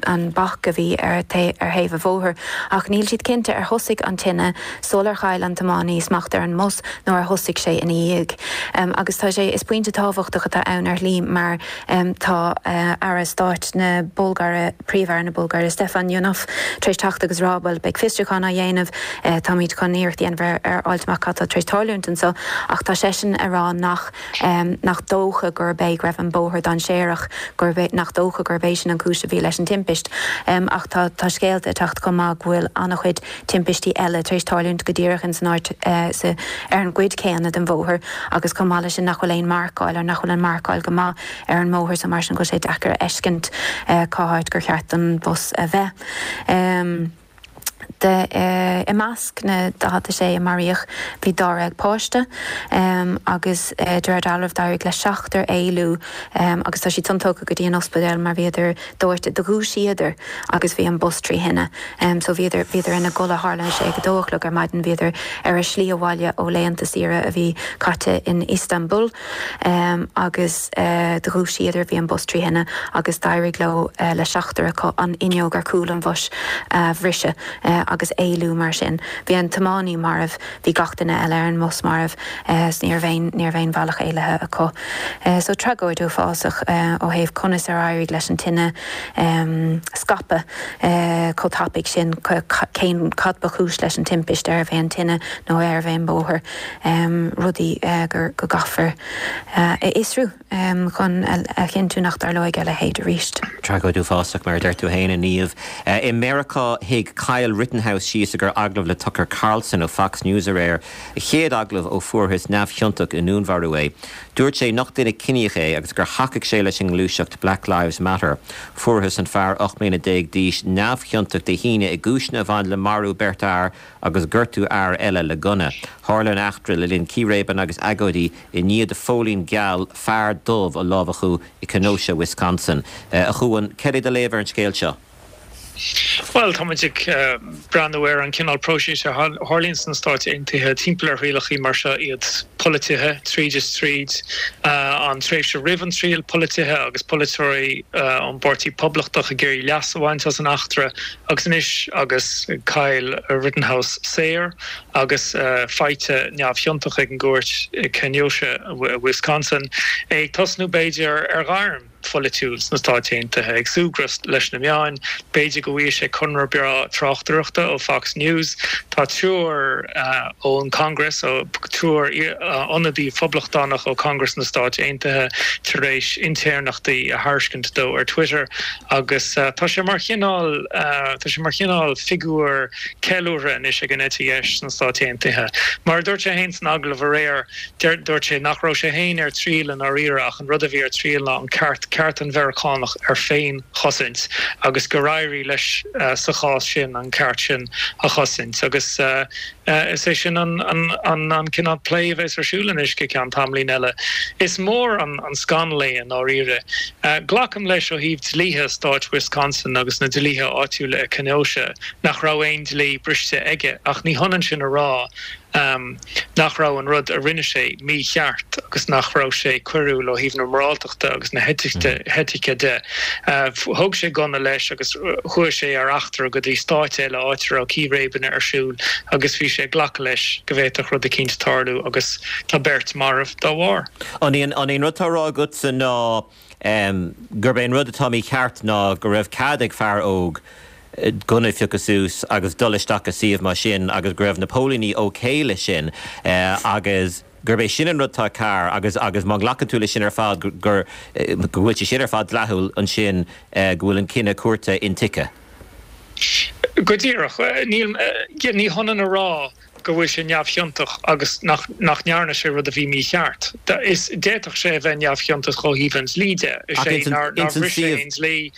an bac a bhí ar ar thaobh an bhóthair. Ach níl siad cinnte ar thosaigh an tine sular chaill an tiománaí smacht ar an mbus nó ar thosaigh sé ina dhiaidh. Agus tá sé, is pointe tábhachtach atá ann ar shlí mar tá Aire Stáit na Bulgáire, Príomh-Aire na Bulgáire, Stefan Ionov, tar éis teacht agus rá, bhuel, beidh fiosrúchán á dhéanamh, táimid chun iarracht a dhéanamh ar fháilt amach cad tá tar éis tarlúint anso, ach tá seisean ag rá nach, nach dócha gurb é go raibh an bóthar dainséarach, gurb é, nach dócha gurb é sin an cúis a bhí leis an timpist. Ach tá, tá scéalta ag teacht chomh maith go bhfuil an-chuid timpistí eile tar éis tarlúint go díreach ins an áit, sa, ar an gcuid céanna den bhóthar agus chomh maith leis sin nach bhfuil aon marcáil, or nach bhfuil an marcáil go maith ar an mbóthar so mar sin go bhfuil sé deacair a fheiscint cá háit gur cheart don bhus a bheith. De I measc na 46 a maraíodh bhí dáréag páiste agus de réir dealraimh d'éirigh le seachtar éalú agus tá siad san tugtha go dtí an ospidéal mar bhíodar dóite. Do dhúisíodar agus bhí an bus trí thine so bhíodar bhíodar ina gcodladh tharla sé ag a dó a chlog ar maidin bhíodar ar a slí abhaile ó laethanta saoire a bhí caite in Istanbul. Agus do dhúisíodar, bhí an bus trí thine agus d'éirigh leo, le seachtar acu, an fhuinneog ar chúl an bhus a bhriseadh. agus éalú mar sin. Bhí an tiománaí marbh, bhí gach duine eile ar an mbus marbh 's ní raibh aon, ní raibh aon bhealach éalaithe acu. So tragóid uafásach ó thaobh conas ar éirigh leis an tine scaipeadh chomh tapaidh sin, cén, cad ba chúis leis an timpist, arbh é an tine nó arbh é an bóthar, rudaí gur, go gcaithfear a fhiosrú chun a chinntiú nach dtarlóidh a leithéid arís. Tragóid uafásach, mar a deir tú féin, a Niamh. I Meiriceá, shuigh Kyle Rittenhouse síos i gcomhair agallamh le Tucker Carlson ó Fox News aréir, a chéad agallamh ó fuarthas neamhchiontach i ndúnmharú é. Dúirt sé nach duine ciníoch é agus gur thacaigh sé leis an ngluaiseacht Black Lives Matter. Fuarthas an fear 18 mbliana d'aois neamhchiontach Dé hAoine i gcúiseanna a bhain le marú beirt fhear agus gortú fhear eile le gunna. Tharla an eachtra le linn círéibeanna agus agóidí i ndiaidh do phóilín geal fear dubh a lámhachú i Kenosha, Wisconsin. A Chuain, céard é do léamh ar an scéal seo? Bhuel, tá muid ag breathnú ar an cineál próisis a tharlaíonn sna Stáit Aontaithe timpeall ar thrialacha mar seo, iad polaitithe tríd is tríd, an tréimhse roimh an triail polaitithe agus polaiteoirí ón bPáirtí Poblachtach ag iarraidh leas a bhaint as an eachtra agus anois agus Kyle Rittenhouse saor agus faighte neamhchiontach ag an gcúirt i Kenosha, Wisconsin, é ag tosnú b'fhéidir ar ghairm. pholaitiúil sna Stáit Aontaithe, ag súgradh leis na meáin. B'fhéidir go bhfaighidh sé conradh breá tráchtaireachta ó Fox News. Tá triúr ón Congress, triúr ionadaí Phoblachtánach ó Congress na Stáit Aontaithe tar éis intéirneachtaí a thairiscint dó ar Twitter agus tá sé mar chineál, tá sé mar chineál figiúr ceiliúrtha anois ag an eite dheis sna Stáit Aontaithe. Mar a dúirt sé féin san agallamh aréir, Dúirt sé nach raibh sé féin ar triail i ndáiríre ach an rud a bhí ar triail ná an ceart, ceart an Mheiriceánach ar féin-chosaint agus gur éirigh leis sa chás sin an ceart sin a chosaint agus is é sin an cineál plé a bheas ar siúl anois go ceann tamaillín eile. Is mór an scannal é i ndáiríre. Glacaim leis ó thaobh dlíthe stáit Wisconsin agus na dlíthe áitiúla i Kenosha nach raibh aon dlí briste aige ach ní hionann sin a rá nach raibh an rud a rinne sé mícheart agus nach raibh sé coiriúil ó thaobh na moráltachta agus na heitice de. Thóg sé gunna leis agus chuaigh sé ar eachtra go dtí stáit eile áit a raibh círéibeanna ar siúl agus bhí sé ag glacadh leis go bhféadfadh rud eicínt tarlú agus tá beirt marbh dá bharr. An é an rud atá á rá agatsa ná gurb é an rud atá mícheart ná go raibh cead ag fear óg gunna a phiocadh suas agus dul isteach i suíomh mar sin agus go raibh na póilíní ok leis sin agus gurb é sin an rud atá cearr agus agus má ghlacann tú leis sin ar fad gur go bhfuil sé sin ar fad dleathúil ansin go bhfuil an cinneadh cúirte intuigthe. Go díreach. Níl, ní hionann a rá go bhfuil sé neamhchiontach agus nach nach ndearna sé rud a bhí mícheart. Is d'fhéadfadh sé a bheith neamhchiontach ó thaobh an dlí de, is Ach é ins an nár nár ins an bhris sé suíomh. aon dlí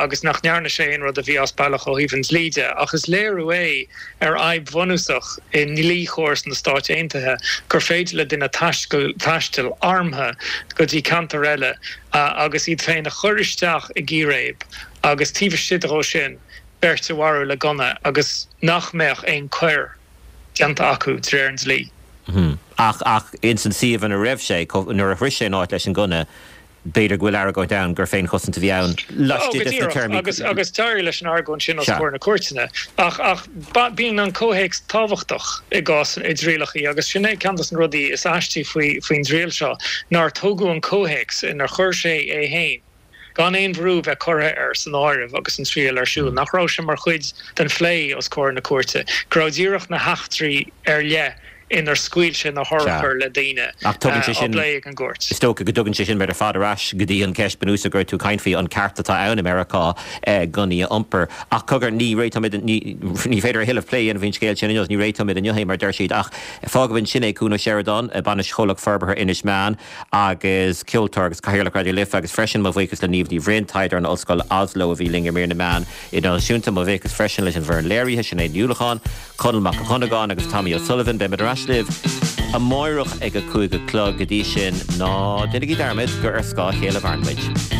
agus nach ndearna sé aon rud a bhí as bealach ó thaobh an dlí de. Ach is léiriú é ar fhadhb bhunúsach i ndlíchóras na Stáit Aontaithe gur féidir le duine taistil taisteal armtha go dtí ceantar eile agus iad féin a chur isteach i gcíréib agus taobh istigh dhó sin beirt a mharú le gunna agus nach mbeadh aon choir déanta acu de réir an dlí. Ach, ach ins an suíomh ina raibh sé, nuair a shroich sé an áit leis an ngunna, b'fhéidir go bhfuil argóint ann gur féinchosaint a bhí ann Ó, go laistigh des na díreach, téarmaí. agus, agus d'éirigh leis an argóint sin os Sea. comhair na cúirteanna. Ach, ach bíonn an comhthéacs tábhachtach i gcás, i dtrialacha agus sin é ceann des na rudaí is aistí faoi, faoin dtriail seo, nár tógadh an comhthéacs inar chuir sé é féin gan aon bhrú bheith curtha air san áireamh agus an triail ar siúl, nach raibh sé mar chuid den phlé os comhair na cúirte, go raibh díreach na heachtraí ar leith inar scaoil sé na Sea. hurchair le daoine Ach tugann sé á sin, bplé ag an gcúirt. is dócha go dtugann sé sin muid ar fad ar ais go dtí an cheist bunúsach go raibh tú ag caint faoi, an ceart atá ann i Meiriceá gunnaí a iompar. Ach cogar, ní réiteoimid, ní, ní féidir a thuilleadh plé a dhéanamh faoin scéal sin inniu, ní réiteoimid inniu é mar a deir siad, ach fágfaimid ansin é, Cuan Ó Seireadáin, Bainisteoir Chomhlacht Forbartha Inis Meáin. agus ceoltóir agus Cathaoirleach Raidió Life agus freisin mo bhuíochas le Niamh Ní Bhroin, taighdeoir in Ollscoil Oslo a bhí linn i mír na meán idirnáisiúnta. Mo bhuíochas freisin leis an bhfoireann léirithe, Sinéad Ní Uallacháin, Conall Mac Dhonnagáin agus Tommy O'Sullivan. Beimid ar ais libh amáireach ag a 5 a chlog. Go dtí sin, ná déanaigí dearmad gur ar scáth a chéile a mhaireann muid.